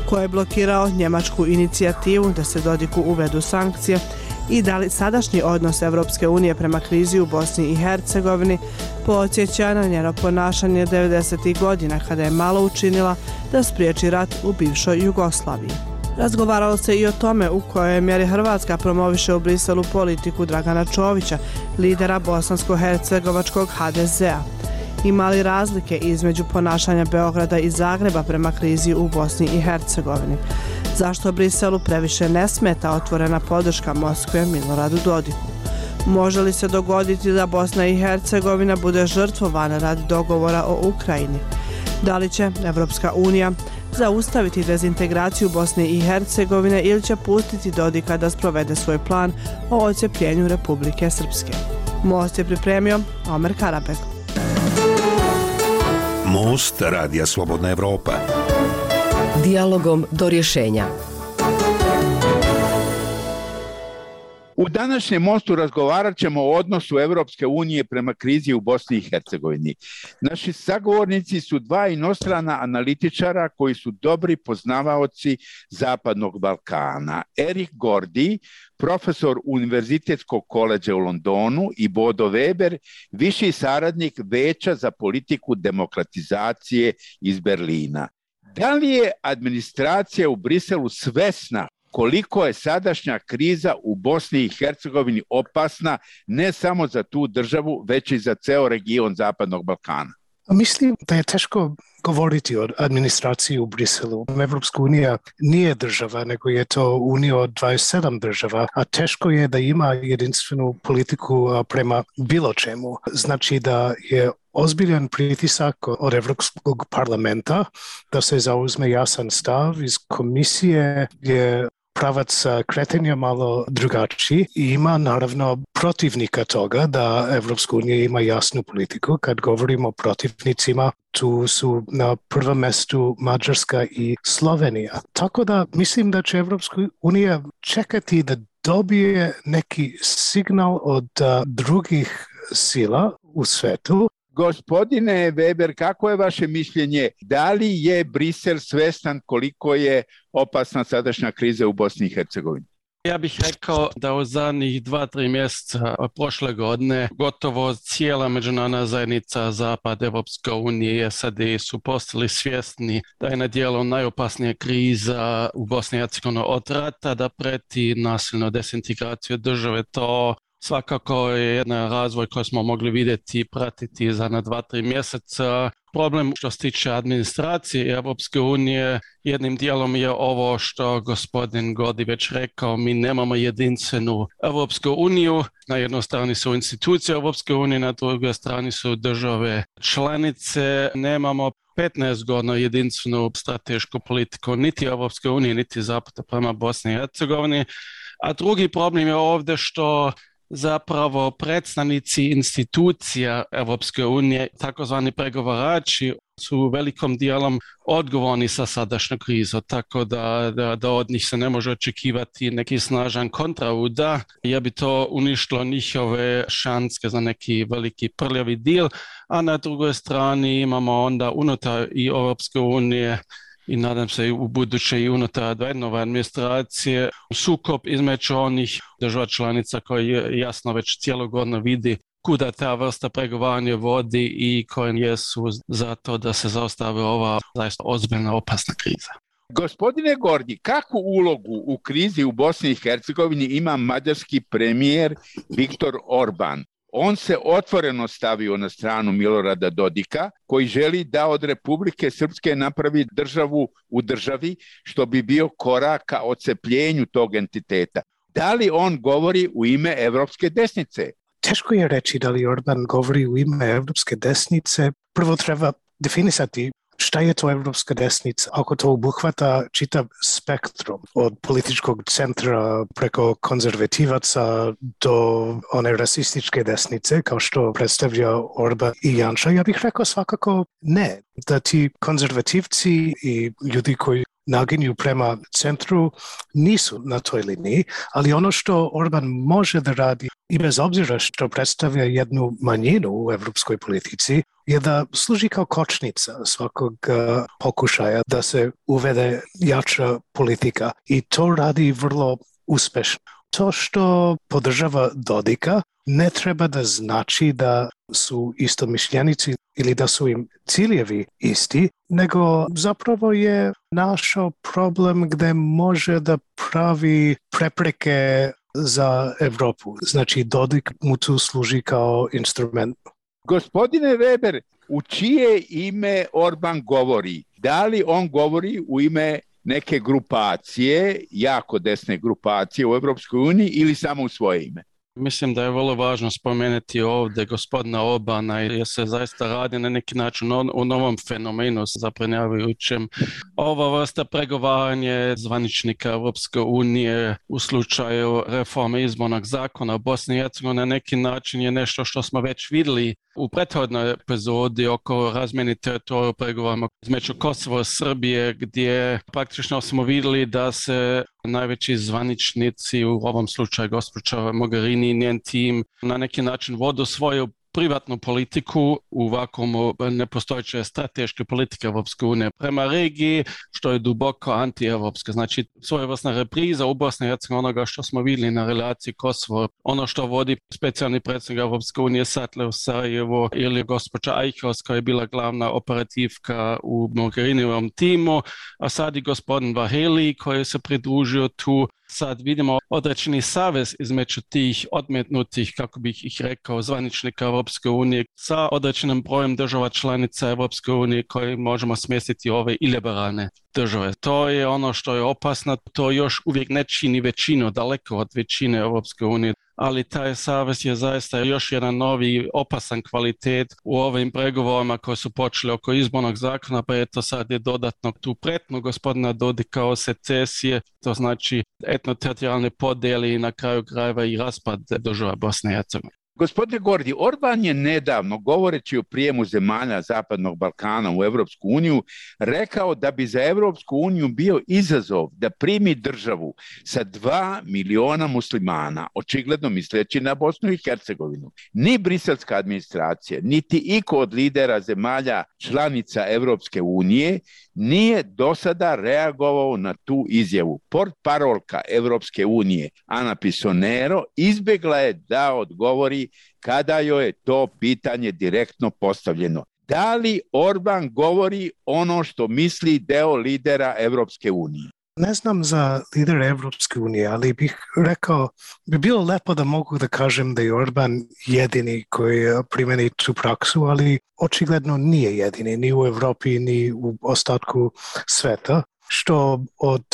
Ko je blokirao njemačku inicijativu da se Dodiku uvedu sankcije i da li sadašnji odnos Evropske unije prema krizi u Bosni i Hercegovini podsjeća na njeno ponašanje 90. godina kada je malo učinila da spriječi rat u bivšoj Jugoslaviji. Razgovaralo se i o tome u kojoj mjeri Hrvatska promoviše u Briselu politiku Dragana Čovića, lidera bosansko-hercegovačkog HDZ-a. Ima li razlike između ponašanja Beograda i Zagreba prema krizi u Bosni i Hercegovini? Zašto Briselu previše ne smeta otvorena podrška Moskve Miloradu Dodiku? Može li se dogoditi da Bosna i Hercegovina bude žrtvovana radi dogovora o Ukrajini? Da li će Evropska unija zaustaviti dezintegraciju Bosne i Hercegovine ili će pustiti Dodika da sprovede svoj plan o odcepljenju Republike Srpske? Most je pripremio Omer Karabek. Most Radija Slobodna Evropa. Dijalogom do rješenja. U današnjem mostu razgovarat ćemo o odnosu Evropske unije prema krizi u Bosni i Hercegovini. Naši sagovornici su dva inostrana analitičara koji su dobri poznavaoci Zapadnog Balkana. Erik Gordi, profesor Univerzitetskog koledža u Londonu, i Bodo Weber, viši saradnik Veća za politiku demokratizacije iz Berlina. Da li je administracija u Briselu svesna koliko je sadašnja kriza u Bosni i Hercegovini opasna ne samo za tu državu, već i za ceo region Zapadnog Balkana? Mislim da je teško govoriti o administraciji u Briselu. Evropska unija nije država, nego je to unija od 27 država, a teško je da ima jedinstvenu politiku prema bilo čemu. Znači da je ozbiljan pritisak od Evropskog parlamenta da se zauzme jasan stav. Iz komisije je pravac kretanja malo drugačiji i ima naravno protivnika toga da Evropska unija ima jasnu politiku. Kad govorimo o protivnicima, tu su na prvom mjestu Mađarska i Slovenija. Tako da mislim da će Evropska unija čekati da dobije neki signal od drugih sila u svetu. Gospodine Weber, kako je vaše mišljenje? Da li je Brisel svestan koliko je opasna sadašnja kriza u Bosni i Hercegovini? Ja bih rekao da u zadnjih 2-3 mjeseca prošle godine gotovo cijela međunarodna zajednica, Zapad, Evropska unija i SAD su postali svjesni da je na djelu najopasnija kriza u Bosni i Hercegovini od rata, da preti nasilno dezintegraciju države. To svakako je jedan razvoj koji smo mogli vidjeti i pratiti za na 2-3 mjeseca. Problem što se tiče administracije Europske unije, jednim dijelom je ovo što gospodin Godi već rekao, mi nemamo jedinstvenu Europsku uniju. Na jednoj strani su institucije Europske unije, na drugoj strani su države članice. Nemamo 15 godina jedinstvenu stratešku politiku niti Europske unije, niti zapada prema Bosni i Hercegovini. A drugi problem je ovdje što zapravo predstavnici institucija Europske unije, takozvani pregovarači, su velikom dijelom odgovorni sa sadašnjom krizom, tako da od njih se ne može očekivati neki snažan kontraudar, jer bi to uništilo njihove šanse za neki veliki prljavi deal, a na drugoj strani imamo onda unutar i Europske unije i nadam se i u buduće i unutar Bidenove administracije sukob između onih država članica koji jasno već cijelo godinu vidi kuda ta vrsta pregovaranja vodi i koji jesu za to da se zaustavi ova zaista ozbiljna opasna kriza. Gospodine Gordi, kakvu ulogu u krizi u Bosni i Hercegovini ima mađarski premijer Viktor Orban? On se otvoreno stavio na stranu Milorada Dodika, koji želi da od Republike Srpske napravi državu u državi, što bi bio korak ka odcepljenju tog entiteta. Da li on govori u ime evropske desnice? Teško je reći da li Orban govori u ime evropske desnice. Prvo treba definisati šta je to evropska desnica, ako to obuhvata čitav spektrum od političkog centra preko konzervativaca do one rasističke desnice, kao što predstavlja Orban i Janša. Ja bih rekao svakako ne, da ti konzervativci i ljudi koji naginju prema centru nisu na toj liniji, ali ono što Orban može da radi i bez obzira što predstavlja jednu manjinu u evropskoj politici je da služi kao kočnica svakog pokušaja da se uvede jača politika i to radi vrlo uspešno. To što podržava Dodika ne treba da znači da su istomišljenici ili da su im ciljevi isti, nego zapravo je našao problem gde može da pravi prepreke za Evropu. Znači Dodik mu tu služi kao instrument. Gospodine Weber, u čije ime Orban govori? Da li on govori u ime neke grupacije, jako desne grupacije u Evropskoj uniji ili samo u svoje ime? Mislim da je vrlo važno spomenuti ovdje gospodina Orbana jer se zaista radi na neki način o novom fenomenu zabrinjavajućem. Ova vrsta pregovaranja zvaničnika Europske unije u slučaju reforme izbornog zakona u Bosni i Hercegovini na neki način je nešto što smo već vidjeli u prethodnoj epizodi oko razmjene teritorija u pregovorima između Kosova i Srbije, gdje praktično smo vidjeli da se najveći zvaničnici, u ovom slučaju gospođa Mogherini i njen tim, na neki način vodu svoju privatnu politiku u vakuumu nepostojeće strateške politike Europske unije prema regiji, što je duboko anti-evropska. Znači, svojevrsna repriza u Bosni i Hercegovini onoga što smo vidjeli na relaciji Kosovo, ono što vodi specijalni predsjednik Europske unije Sattler u Sarajevo ili gospođa Eichhorst koja je bila glavna operativka u Mogherinijevom timu, a sad i gospodin Vaheli koji se pridružio tu. Sad vidimo određeni savez između tih odmetnutih, kako bih ih rekao, zvaničnika Europske unije sa određenim brojem država članica Europske unije koji možemo smjestiti ove iliberalne države. To je ono što je opasno, to još uvijek ne čini većinu, daleko od većine Europske unije, ali taj savez je zaista još jedan novi opasan kvalitet u ovim pregovorima koji su počeli oko izbornog zakona, pa eto sad je dodatno tu pretnu gospodina Dodika o secesije, to znači etnoteritorijalne podjele i na kraju krajeva i raspad država Bosne i Hercegovine. Gospodine Gordi, Orban je nedavno, govoreći o prijemu zemalja Zapadnog Balkana u Evropsku uniju, rekao da bi za Evropsku uniju bio izazov da primi državu sa 2 miliona muslimana, očigledno misleći na Bosnu i Hercegovinu. Ni briselska administracija, niti iko od lidera zemalja članica Evropske unije nije do sada reagovao na tu izjavu. Portparolka Evropske unije Ana Pisonero izbjegla je da odgovori kada joj je to pitanje direktno postavljeno. Da li Orban govori ono što misli deo lidera Evropske unije? Ne znam za lidera Evropske unije, ali bih rekao, bi bilo lepo da mogu da kažem da je Orban jedini koji primeni tu praksu, ali očigledno nije jedini, ni u Evropi, ni u ostatku sveta, što od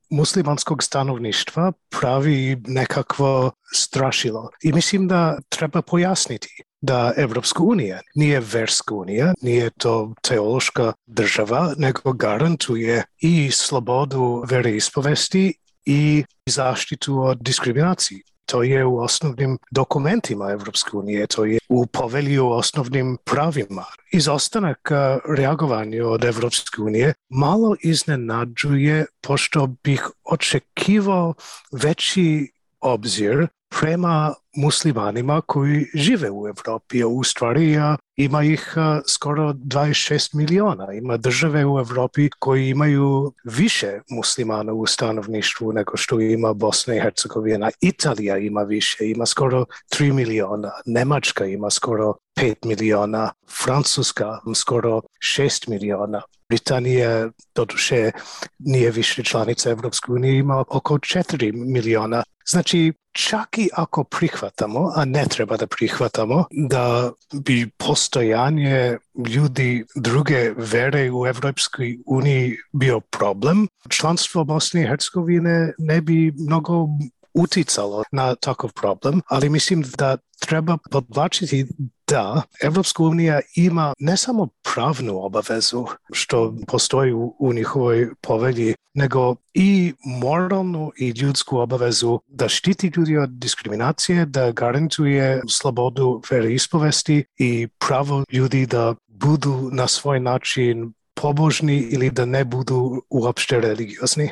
muslimanskog stanovništva pravi nekakvo strašilo. I mislim da treba pojasniti da Evropska unija nije verska unija, nije to teološka država, nego garantuje i slobodu veroispovesti i zaštitu od diskriminacije. To je u osnovnim dokumentima Evropske unije, to je u povelji o osnovnim pravima. Izostanak reagovanja od Evropske unije malo iznenađuje, pošto bih očekivao veći obzir prema muslimanima koji žive u Evropi. U stvari ima ih skoro 26 miliona. Ima države u Evropi koji imaju više muslimana u stanovništvu nego što ima Bosna i Hercegovina. Italija ima više, ima skoro 3 miliona. Nemačka ima skoro 5 miliona. Francuska skoro 6 miliona. Britanija, doduše, nije više članica Evropske unije, ima oko 4 miliona. Znači, čak i ako prihvatamo, a ne treba da prihvatamo, da bi postojanje ljudi druge vere u Evropskoj uniji bio problem, članstvo Bosne i Hercegovine ne bi mnogo uticalo na takav problem, ali mislim da treba podvlačiti da Evropska unija ima ne samo pravnu obavezu što postoji u njihovoj povelji, nego i moralnu i ljudsku obavezu da štiti ljudi od diskriminacije, da garantuje slobodu veroispovesti i pravo ljudi da budu na svoj način pobožni ili da ne budu uopšte religiozni.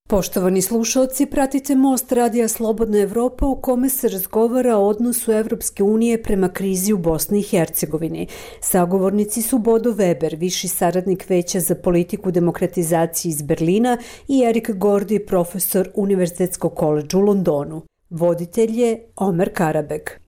Poštovani slušalci, pratite Most Radija Slobodna Evropa u kome se razgovara o odnosu Evropske unije prema krizi u Bosni i Hercegovini. Sagovornici su Bodo Weber, viši saradnik Veća za politiku demokratizacije iz Berlina, i Erik Gordi, profesor Univerzitetskog koledža u Londonu. Voditelj je Omer Karabek.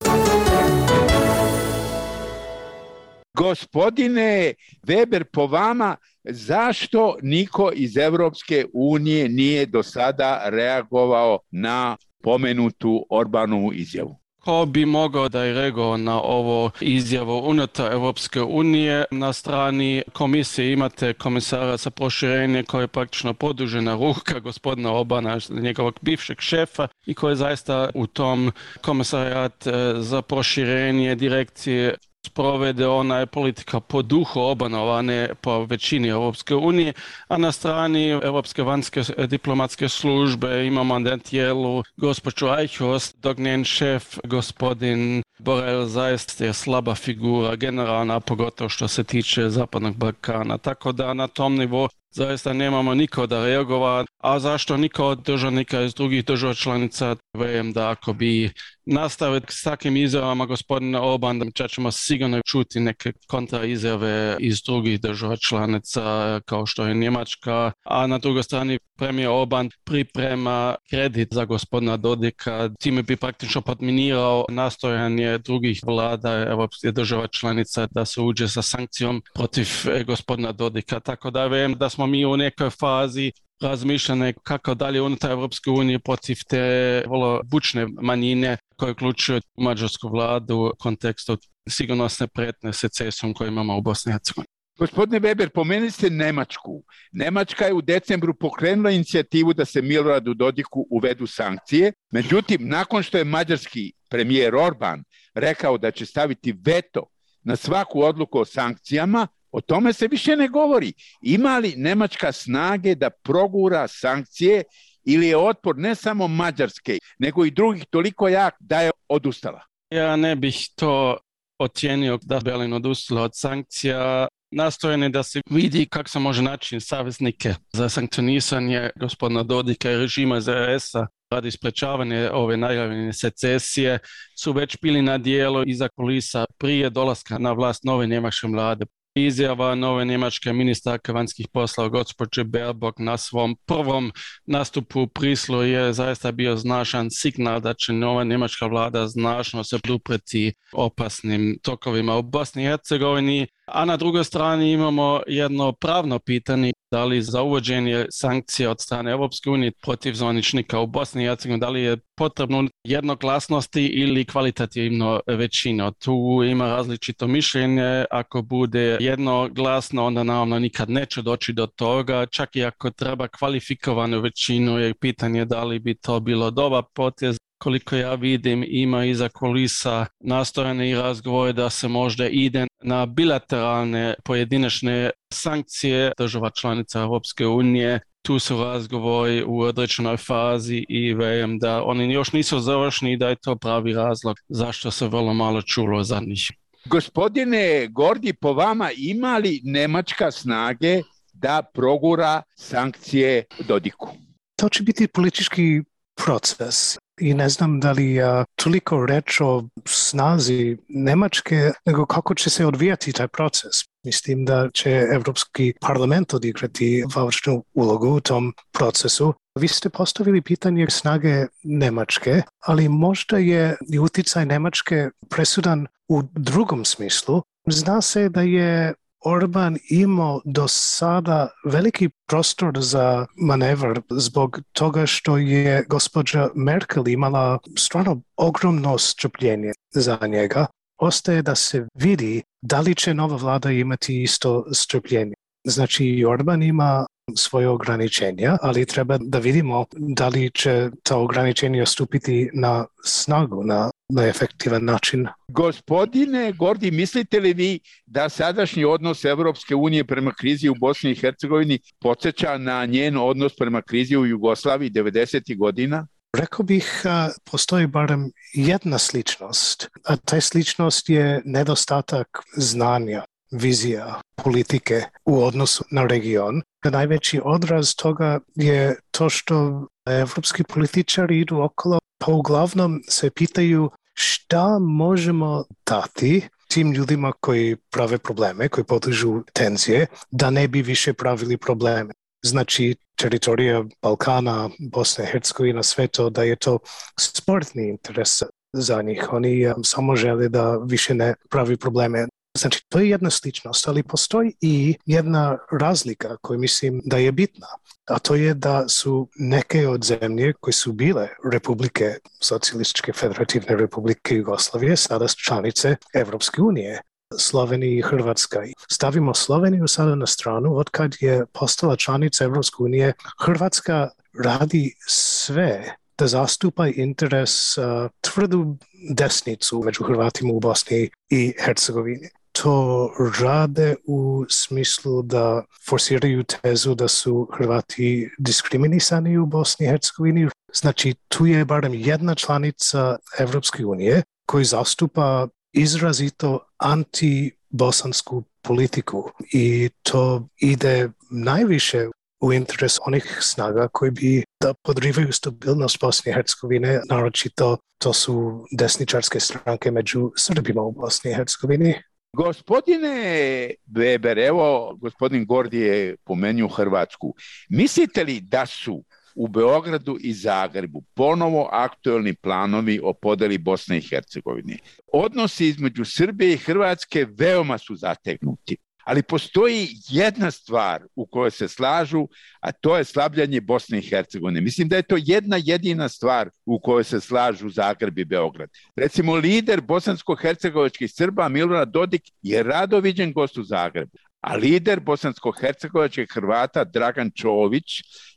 Gospodine Weber, po vama, zašto niko iz Evropske unije nije do sada reagovao na pomenutu Orbanovu izjavu? Ko bi mogao da je reagovao na ovo izjavu unutar Evropske unije? Na strani komisije imate komisara za proširenje koji je praktično produžena ruka gospodina Orbana, njegovog bivšeg šefa, i koji je zaista u tom komisarijat za proširenje direkcije sprovede ona je politika po duhu Orbanova, ne po većini Evropske unije, a na strani Evropske vanjske diplomatske službe imamo na tijelu gospođu Eichhorst, dok njen šef, gospodin Borrell, zaista je slaba figura generalna, pogotovo što se tiče Zapadnog Balkana. Tako da na tom nivou zaista nemamo niko da reagova, a zašto niko od državnika iz drugih država članica? Vjerujem da ako bi nastaviti s takvim izjavama gospodina Orban, da ćemo sigurno čuti neke kontraizjave iz drugih država članica kao što je Njemačka, a na drugoj strani premijer Orban priprema kredit za gospodina Dodika, time bi praktično podminirao nastojanje drugih vlada evropskih država članica da se uđe sa sankcijom protiv gospodina Dodika. Tako da vjerujem da smo mi u nekoj fazi razmišljane kako dalje unutar Evropske unije protiv te vrlo bučne manjine koje uključuju mađarsku vladu u kontekstu sigurnosne prijetnje secesijom koju imamo u Bosni i Hercegovini. Gospodine Weber, pomenuli ste Nemačku. Nemačka je u decembru pokrenula inicijativu da se Miloradu Dodiku uvedu sankcije. Međutim, nakon što je mađarski premijer Orban rekao da će staviti veto na svaku odluku o sankcijama, o tome se više ne govori. Ima li Nemačka snage da progura sankcije ili je otpor ne samo Mađarske, nego i drugih toliko jak da je odustala? Ja ne bih to ocijenio da Berlin odustala od sankcija. Nastojanje da se vidi kako se može naći saveznike za sankcionisanje gospodina Dodika i režima ZRS-a radi sprečavanja ove najavljene secesije su već bili na dijelu iza kulisa prije dolaska na vlast nove njemačke vlade. Izjava nove njemačke ministarke vanjskih poslova gospođe Baerbock na svom prvom nastupu u Brislu je zaista bio značajan signal da će nova njemačka vlada značno se podupreti opasnim tokovima u Bosni i Hercegovini. A na drugoj strani imamo jedno pravno pitanje, da li za uvođenje sankcija od strane Europske unije protiv zvaničnika u Bosni i Hercegovini, da li je potrebno jednoglasnosti ili kvalitativno većina. Tu ima različito mišljenje, ako bude jednoglasno, onda naravno nikad neće doći do toga, čak i ako treba kvalifikovanu većinu, je pitanje da li bi to bilo dobar potez. Koliko ja vidim, ima iza kulisa nastojane i razgovore da se možda ide na bilateralne pojedinačne sankcije država članica Europske unije. Tu su razgovori u određenoj fazi i vjerujem da oni još nisu završeni i da je to pravi razlog zašto se vrlo malo čulo za njih. Gospodine Gordi, po vama ima li Nemačka snage da progura sankcije Dodiku? To će biti politički proces. I ne znam da li je toliko reč o snazi Nemačke, nego kako će se odvijati taj proces. Mislim da će Evropski parlament odigrati važnu ulogu u tom procesu. Vi ste postavili pitanje snage Nemačke, ali možda je i utjecaj Nemačke presudan u drugom smislu. Zna se da je Orban imao do sada veliki prostor za manevr zbog toga što je gospođa Merkel imala stvarno ogromno strpljenje za njega. Ostaje da se vidi da li će nova vlada imati isto strpljenje. Znači i Orban ima svoje ograničenja, ali treba da vidimo da li će ta ograničenja stupiti na snagu, na efektivan način. Gospodine Gordi, mislite li vi da sadašnji odnos Evropske unije prema krizi u Bosni i Hercegovini podsjeća na njen odnos prema krizi u Jugoslaviji 90. godina? Rekao bih, postoji barem jedna sličnost, a ta sličnost je nedostatak znanja, vizija, politike u odnosu na region. Najveći odraz toga je to što evropski političari idu okolo, pa uglavnom se pitaju šta možemo dati tim ljudima koji prave probleme, koji podižu tenzije, da ne bi više pravili probleme. Znači, teritorija Balkana, Bosna i Hercegovina, sve to, da je to sportni interes za njih. Oni samo žele da više ne pravi probleme. Znači, to je jedna sličnost, ali postoji i jedna razlika koju mislim da je bitna. A to je da su neke od zemlje koje su bile republike, Socijalističke federativne republike Jugoslavije, sada članice Evropske unije. Slovenija i Hrvatska. Stavimo Sloveniju sada na stranu, od kad je postala članica Evropske unije, Hrvatska radi sve da zastupa interes tvrdu desnicu među Hrvatima u Bosni i Hercegovini. To rade u smislu da forsiraju tezu da su Hrvati diskriminisani u Bosni i Hercegovini. Znači, tu je barem jedna članica Evropske unije koji zastupa izrazito anti-bosansku politiku i to ide najviše u interes onih snaga koji bi da podrivaju stabilnost Bosne i Hercegovine, naročito to su desničarske stranke među Srbima u Bosni i Hercegovini. Gospodine Weber, evo gospodin Gordi je pomenuo Hrvatsku. Mislite li da su u Beogradu i Zagrebu ponovo aktuelni planovi o podeli Bosne i Hercegovine? Odnosi između Srbije i Hrvatske veoma su zategnuti, ali postoji jedna stvar u kojoj se slažu, a to je slabljanje Bosne i Hercegovine. Mislim da je to jedna jedina stvar u kojoj se slažu Zagreb i Beograd. Recimo, lider bosansko-hercegovačkih Srba Milorad Dodik je rado viđen gost u Zagrebu, a lider bosansko-hercegovačkih Hrvata Dragan Čović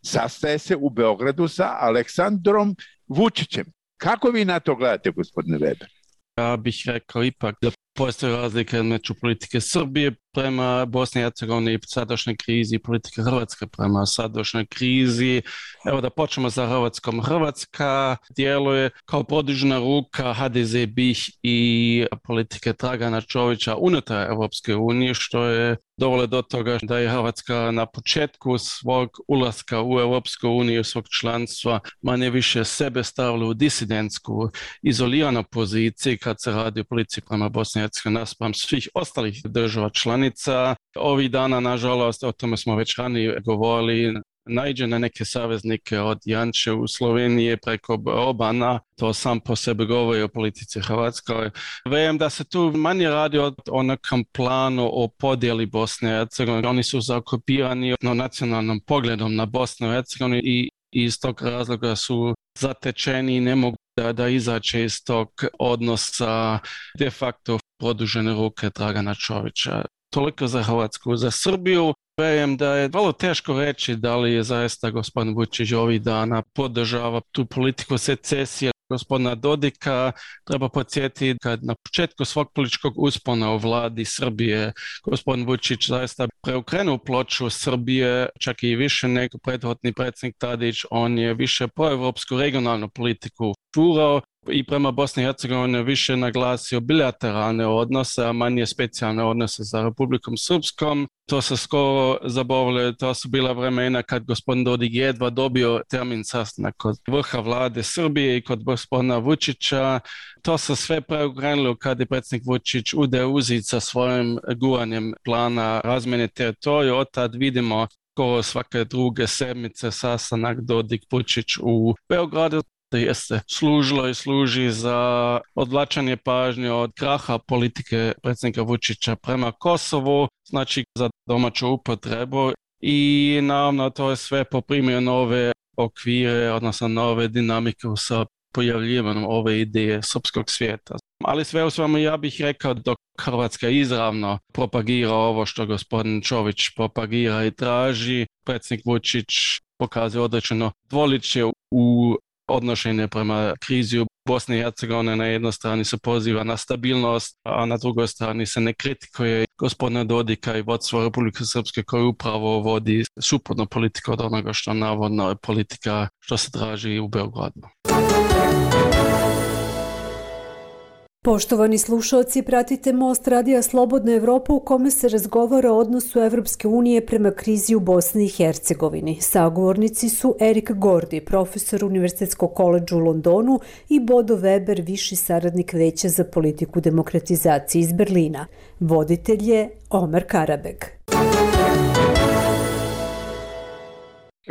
sastaje se u Beogradu sa Aleksandrom Vučićem. Kako vi na to gledate, gospodine Weber? Ja bih rekao ipak da postoji razlika među politike Srbije prema Bosni i Hercegovini i sadašnjoj krizi i politike Hrvatske prema sadašnjoj krizi. Evo da počnemo sa Hrvatskom. Hrvatska djeluje kao produžena ruka HDZ BiH i politike Dragana Čovića unutar Europske unije, što je dovelo do toga da je Hrvatska na početku svog ulaska u Europsku uniju, svog članstva, manje više sebe stavila u disidentsku, izoliranu poziciju kad se radi o politici prema Bosni i Hercegovini naspram svih ostalih država članica. Ovih dana, nažalost, o tome smo već ranije govorili, naiđe na neke saveznike od Janče u Sloveniji preko Obana, to sam po sebi govori o politici Hrvatskoj. Vem da se tu manje radi o nekom planu o podjeli Bosne i Hercegovine. Oni su zaokupirani nacionalnom pogledom na Bosnu i Hercegovinu i iz tog razloga su zatečeni i ne mogu da izaće iz tog odnosa de facto produžene ruke Dragana Čovića. Toliko za Hrvatsku. Za Srbiju vjerujem da je vrlo teško reći da li je zaista gospodin Vučić ovih dana podržava tu politiku secesije gospodina Dodika. Treba podsjetiti kad na početku svog političkog uspona u vladi Srbije gospodin Vučić zaista preokrenuo ploču Srbije, čak i više nego prethodni predsjednik Tadić. On je više proevropsku regionalnu politiku furao i prema Bosni i Hercegovini više naglasio bilateralne odnose, a manje specijalne odnose sa Republikom Srpskom. To se skoro zaboravilo, to su bila vremena kad gospodin Dodik jedva dobio termin sastanak kod vrha vlade Srbije i kod gospodina Vučića. To se sve preokrenulo kad je predsjednik Vučić ude uzit sa svojim guranjem plana razmjene teritorija. Od tad vidimo skoro svake druge sedmice sastanak Dodik Vučić u Beogradu. Jeste služilo i služi za odvlačenje pažnje od kraha politike predsjednika Vučića prema Kosovu, znači za domaću upotrebu i naravno to je sve poprimio nove okvire, odnosno nove dinamike sa pojavljivanjem ove ideje srpskog svijeta. Ali sve u svemu ja bih rekao dok Hrvatska izravno propagira ovo što gospodin Čović propagira i traži, predsjednik Vučić pokazuje određeno dvoličje u odnošenje prema krizi u Bosni i Hercegovini. Na jednoj strani se poziva na stabilnost, a na drugoj strani se ne kritikuje gospodina Dodika i vodstvo Republike Srpske koji upravo vodi suprotnu politiku od onoga što navodno je politika što se traži u Beogradu. Poštovani slušalci, pratite Most Radija Slobodna Evropa u kome se razgovara o odnosu Evropske unije prema krizi u Bosni i Hercegovini. Sagovornici su Erik Gordi, profesor Univerzitetskog koledža u Londonu i Bodo Weber, viši saradnik Veća za politiku demokratizacije iz Berlina. Voditelj je Omer Karabeg.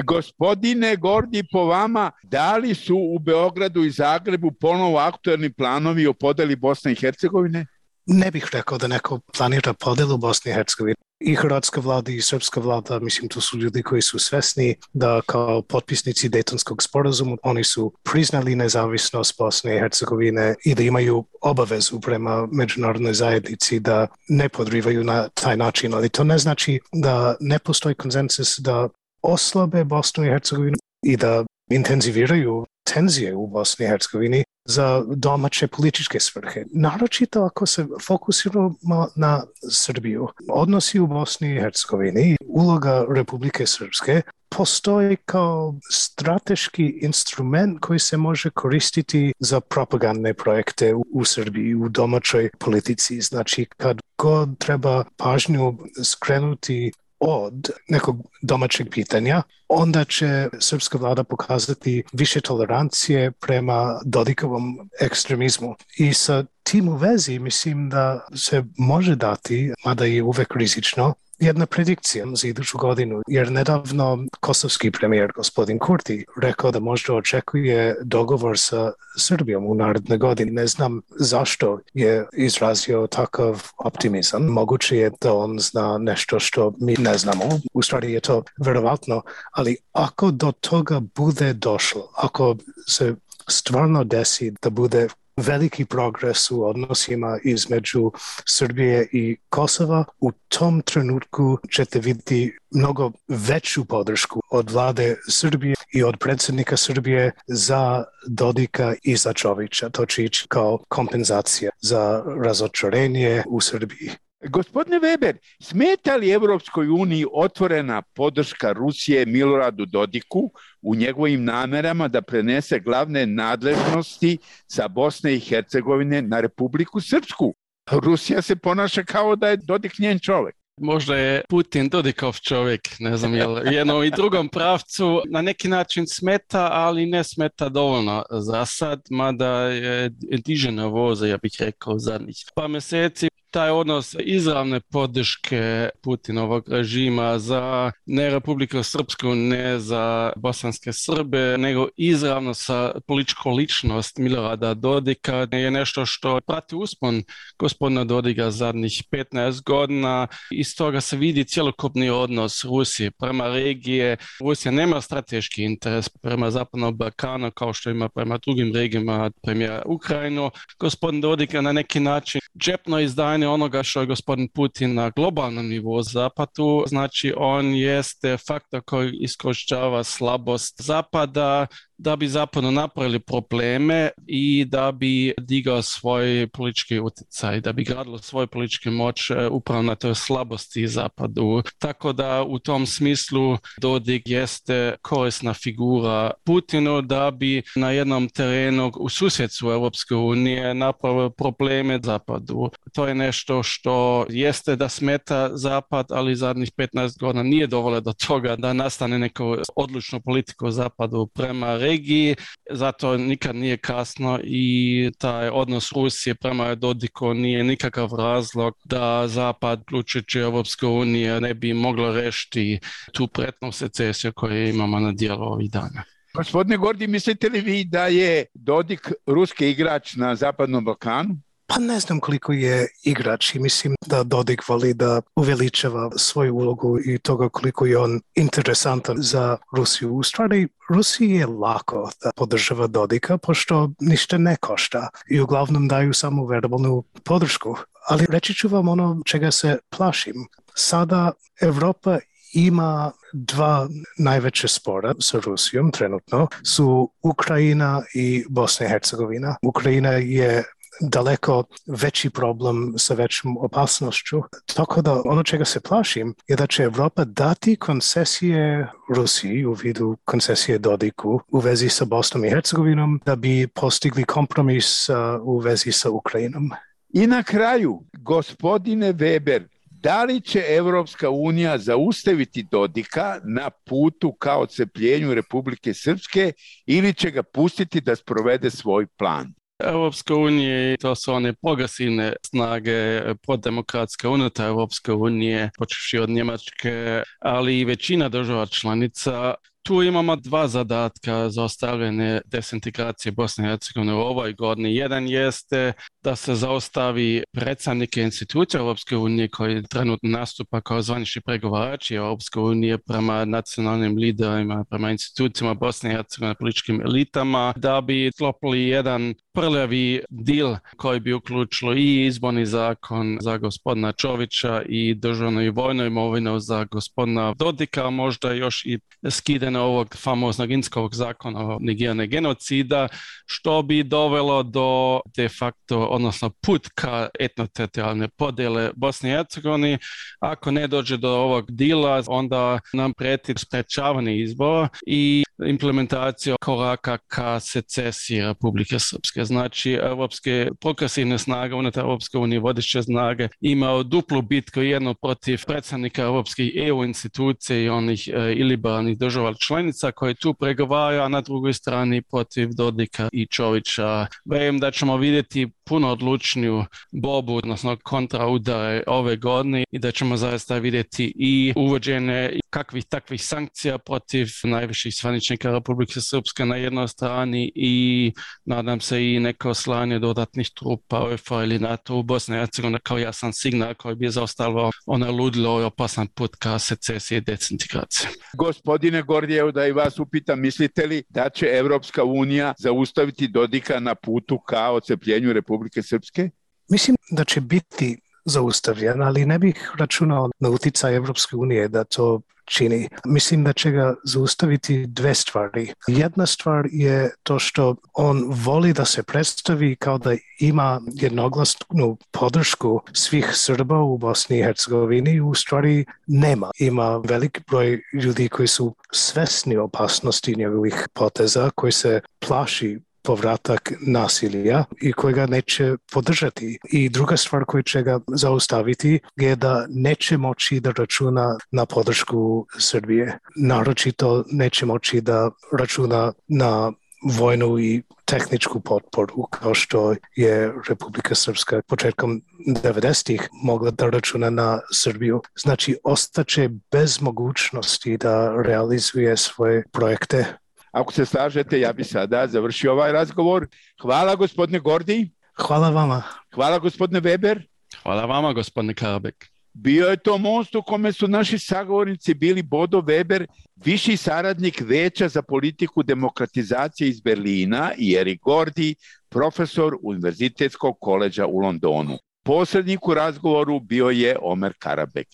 Gospodine Gordi, po vama, da li su u Beogradu i Zagrebu ponovo aktuelni planovi o podeli Bosne i Hercegovine? Ne bih rekao da neko planira podelu Bosne i Hercegovine. I hrvatska vlada i srpska vlada, mislim, tu su ljudi koji su svesni da kao potpisnici Dejtonskog sporazuma oni su priznali nezavisnost Bosne i Hercegovine i da imaju obavezu prema međunarodnoj zajednici da ne podrivaju na taj način, ali to ne znači da ne postoji konsenzus da oslabe Bosnu i Hercegovinu i da intenziviraju tenzije u Bosni i Hercegovini za domaće političke svrhe. Naročito ako se fokusiramo na Srbiju. Odnosi u Bosni i Hercegovini, uloga Republike Srpske postoji kao strateški instrument koji se može koristiti za propagandne projekte u Srbiji, u domaćoj politici. Znači, kad god treba pažnju skrenuti od nekog domaćeg pitanja, onda će srpska vlada pokazati više tolerancije prema Dodikovom ekstremizmu. I sa tim u vezi mislim da se može dati, mada je uvek rizično, jedna predikcija za iduću godinu, jer nedavno kosovski premijer gospodin Kurti rekao da možda očekuje dogovor sa Srbijom u naredne godine. Ne znam zašto je izrazio takav optimizam. Moguće je da on zna nešto što mi ne znamo. U stvari je to verovatno, ali ako do toga bude došlo, ako se stvarno desi da bude veliki progres u odnosima između Srbije i Kosova, u tom trenutku ćete vidjeti mnogo veću podršku od vlade Srbije i od predsjednika Srbije za Dodika i za Čovića. To će ići kao kompenzacija za razočarenje u Srbiji. Gospodine Weber, smeta li Evropskoj uniji otvorena podrška Rusije Miloradu Dodiku u njegovim namerama da prenese glavne nadležnosti sa Bosne i Hercegovine na Republiku Srpsku? Rusija se ponaša kao da je Dodik njen čovjek. Možda je Putin Dodikov čovjek, ne znam, je li jednom i drugom pravcu na neki način smeta, ali ne smeta dovoljno za sad, mada je diže na voze, ja bih rekao, zadnjih par mjeseci. taj odnos izravne podrške Putinovog režima za ne Republiku Srpsku, ne za bosanske Srbe, nego izravno sa političkom ličnost Milorada Dodika je nešto što prati uspon gospodina Dodika zadnjih 15 godina. Iz toga se vidi cjelokupni odnos Rusije prema regije. Rusija nema strateški interes prema Zapadnom Balkanu kao što ima prema drugim regijama, premijera Ukrajinu. Gospodin Dodik na neki način džepno izdanje onoga što je gospodin Putin na globalnom nivou Zapadu. Znači on jeste faktor koji iskorištava slabost Zapada da bi zapadno napravili probleme i da bi digao svoj politički utjecaj, da bi gradilo svoju političku moć upravo na toj slabosti Zapadu. Tako da u tom smislu Dodik jeste korisna figura Putinu da bi na jednom terenu u susjedstvu Europske unije napravio probleme Zapadu. To je nešto što jeste da smeta Zapad, ali zadnjih 15 godina nije dovoljno do toga da nastane neko odlučnu politiku Zapadu prema regiji, zato nikad nije kasno i taj odnos Rusije prema Dodiku nije nikakav razlog da Zapad, uključujući Europska unija, ne bi moglo rešiti tu pretnu secesiju koju imamo na dijelu ovih dana. Gospodine Gordi, mislite li vi da je Dodik ruski igrač na Zapadnom Balkanu? Pa ne znam koliko je igrač i mislim da Dodik voli da uveličava svoju ulogu i toga koliko je on interesantan za Rusiju. U stvari, Rusiji je lako da podržava Dodika, pošto ništa ne košta i uglavnom daju samo verbalnu podršku. Ali reći ću vam ono čega se plašim. Sada Evropa ima dva najveće spora sa Rusijom trenutno, su Ukrajina i Bosna i Hercegovina. Ukrajina je daleko veći problem sa većom opasnošću. Tako da ono čega se plašim je da će Evropa dati koncesije Rusiji u vidu koncesije Dodiku u vezi sa Bosnom i Hercegovinom da bi postigli kompromis u vezi sa Ukrajinom. I na kraju, gospodine Weber, da li će Evropska unija zaustaviti Dodika na putu ka odcepljenju Republike Srpske ili će ga pustiti da sprovede svoj plan? Europska unija, to su one progresivne snage proddemokratske unutar Europske unije, počevši od Njemačke, ali i većina država članica. Tu imamo dva zadatka za ostavljanje desintegracije Bosne i Hercegovine u ovoj godini. Jedan jeste da se zaustavi predstavnike institucija Europske unije koji trenutno nastupa kao zvanični pregovarači Europske unije prema nacionalnim liderima, prema institucijama Bosne i Hercegovine, političkim elitama, da bi sklopili jedan prljavi dil koji bi uključilo i izborni zakon za gospodina Čovića i državnu i vojnu imovinu za gospodina Dodika, možda još i skidanje ovog famoznog Inskovog zakona o negiranje genocida, što bi dovelo do de facto, odnosno put ka etnoteritorijalne podjele Bosne i Hercegovine. Ako ne dođe do ovog dila, onda nam prijeti sprečavanje izbora i implementacija koraka ka secesiji Republike Srpske. Znači, evropske progresivne snage unutar Europske unije, vodeće snage, imaju duplu bitku, jednu protiv predstavnika europskih EU institucija i onih iliberalnih država članica koji tu pregovaraju, a na drugoj strani protiv Dodika i Čovića. Vjerujem da ćemo vidjeti puno odlučniju borbu, odnosno kontraudare ove godine i da ćemo zaista vidjeti i uvođenje kakvih takvih sankcija protiv najviših zvaničnika Republike Srpske na jednoj strani i nadam se i neko slanje dodatnih trupa UEFA ili NATO u Bosni i Hercegovini kao jasan signal koji bi zaustavio ona ludilo i opasan put ka secesiji i desintegraciji. Gospodine Gordijev, da i vas upitam, mislite li da će Evropska unija zaustaviti Dodika na putu ka odcepljenju Republike Srpske? Mislim da će biti zaustavljen, ali ne bih računao na utjecaj Evropske unije da to čini. Mislim da će ga zaustaviti dve stvari. Jedna stvar je to što on voli da se predstavi kao da ima jednoglasnu podršku svih Srba u Bosni i Hercegovini. U stvari nema. Ima velik broj ljudi koji su svesni opasnosti njegovih poteza, koji se plaši povratak nasilja i koji ga neće podržati. I druga stvar koja će ga zaustaviti je da neće moći da računa na podršku Srbije. Naročito neće moći da računa na vojnu i tehničku potporu kao što je Republika Srpska početkom 90-ih mogla da računa na Srbiju. Znači, ostaće bez mogućnosti da realizuje svoje projekte. Ako se slažete, ja bi sada završio ovaj razgovor. Hvala gospodine Gordi. Hvala vama. Hvala gospodine Weber. Hvala vama gospodine Karabek. Bio je to most u kome su naši sagovornici bili Bodo Weber, viši saradnik Veća za politiku demokratizacije iz Berlina, i Erik Gordi, profesor Univerzitetskog koleđa u Londonu. Posrednik u razgovoru bio je Omer Karabek.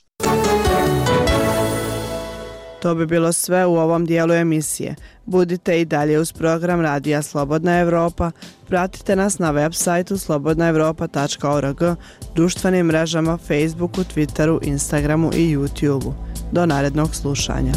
To bi bilo sve u ovom dijelu emisije. Budite i dalje uz program Radija Slobodna Evropa. Pratite nas na web sajtu slobodnaevropa.org, društvenim mrežama Facebooku, Twitteru, Instagramu i YouTubeu. Do narednog slušanja.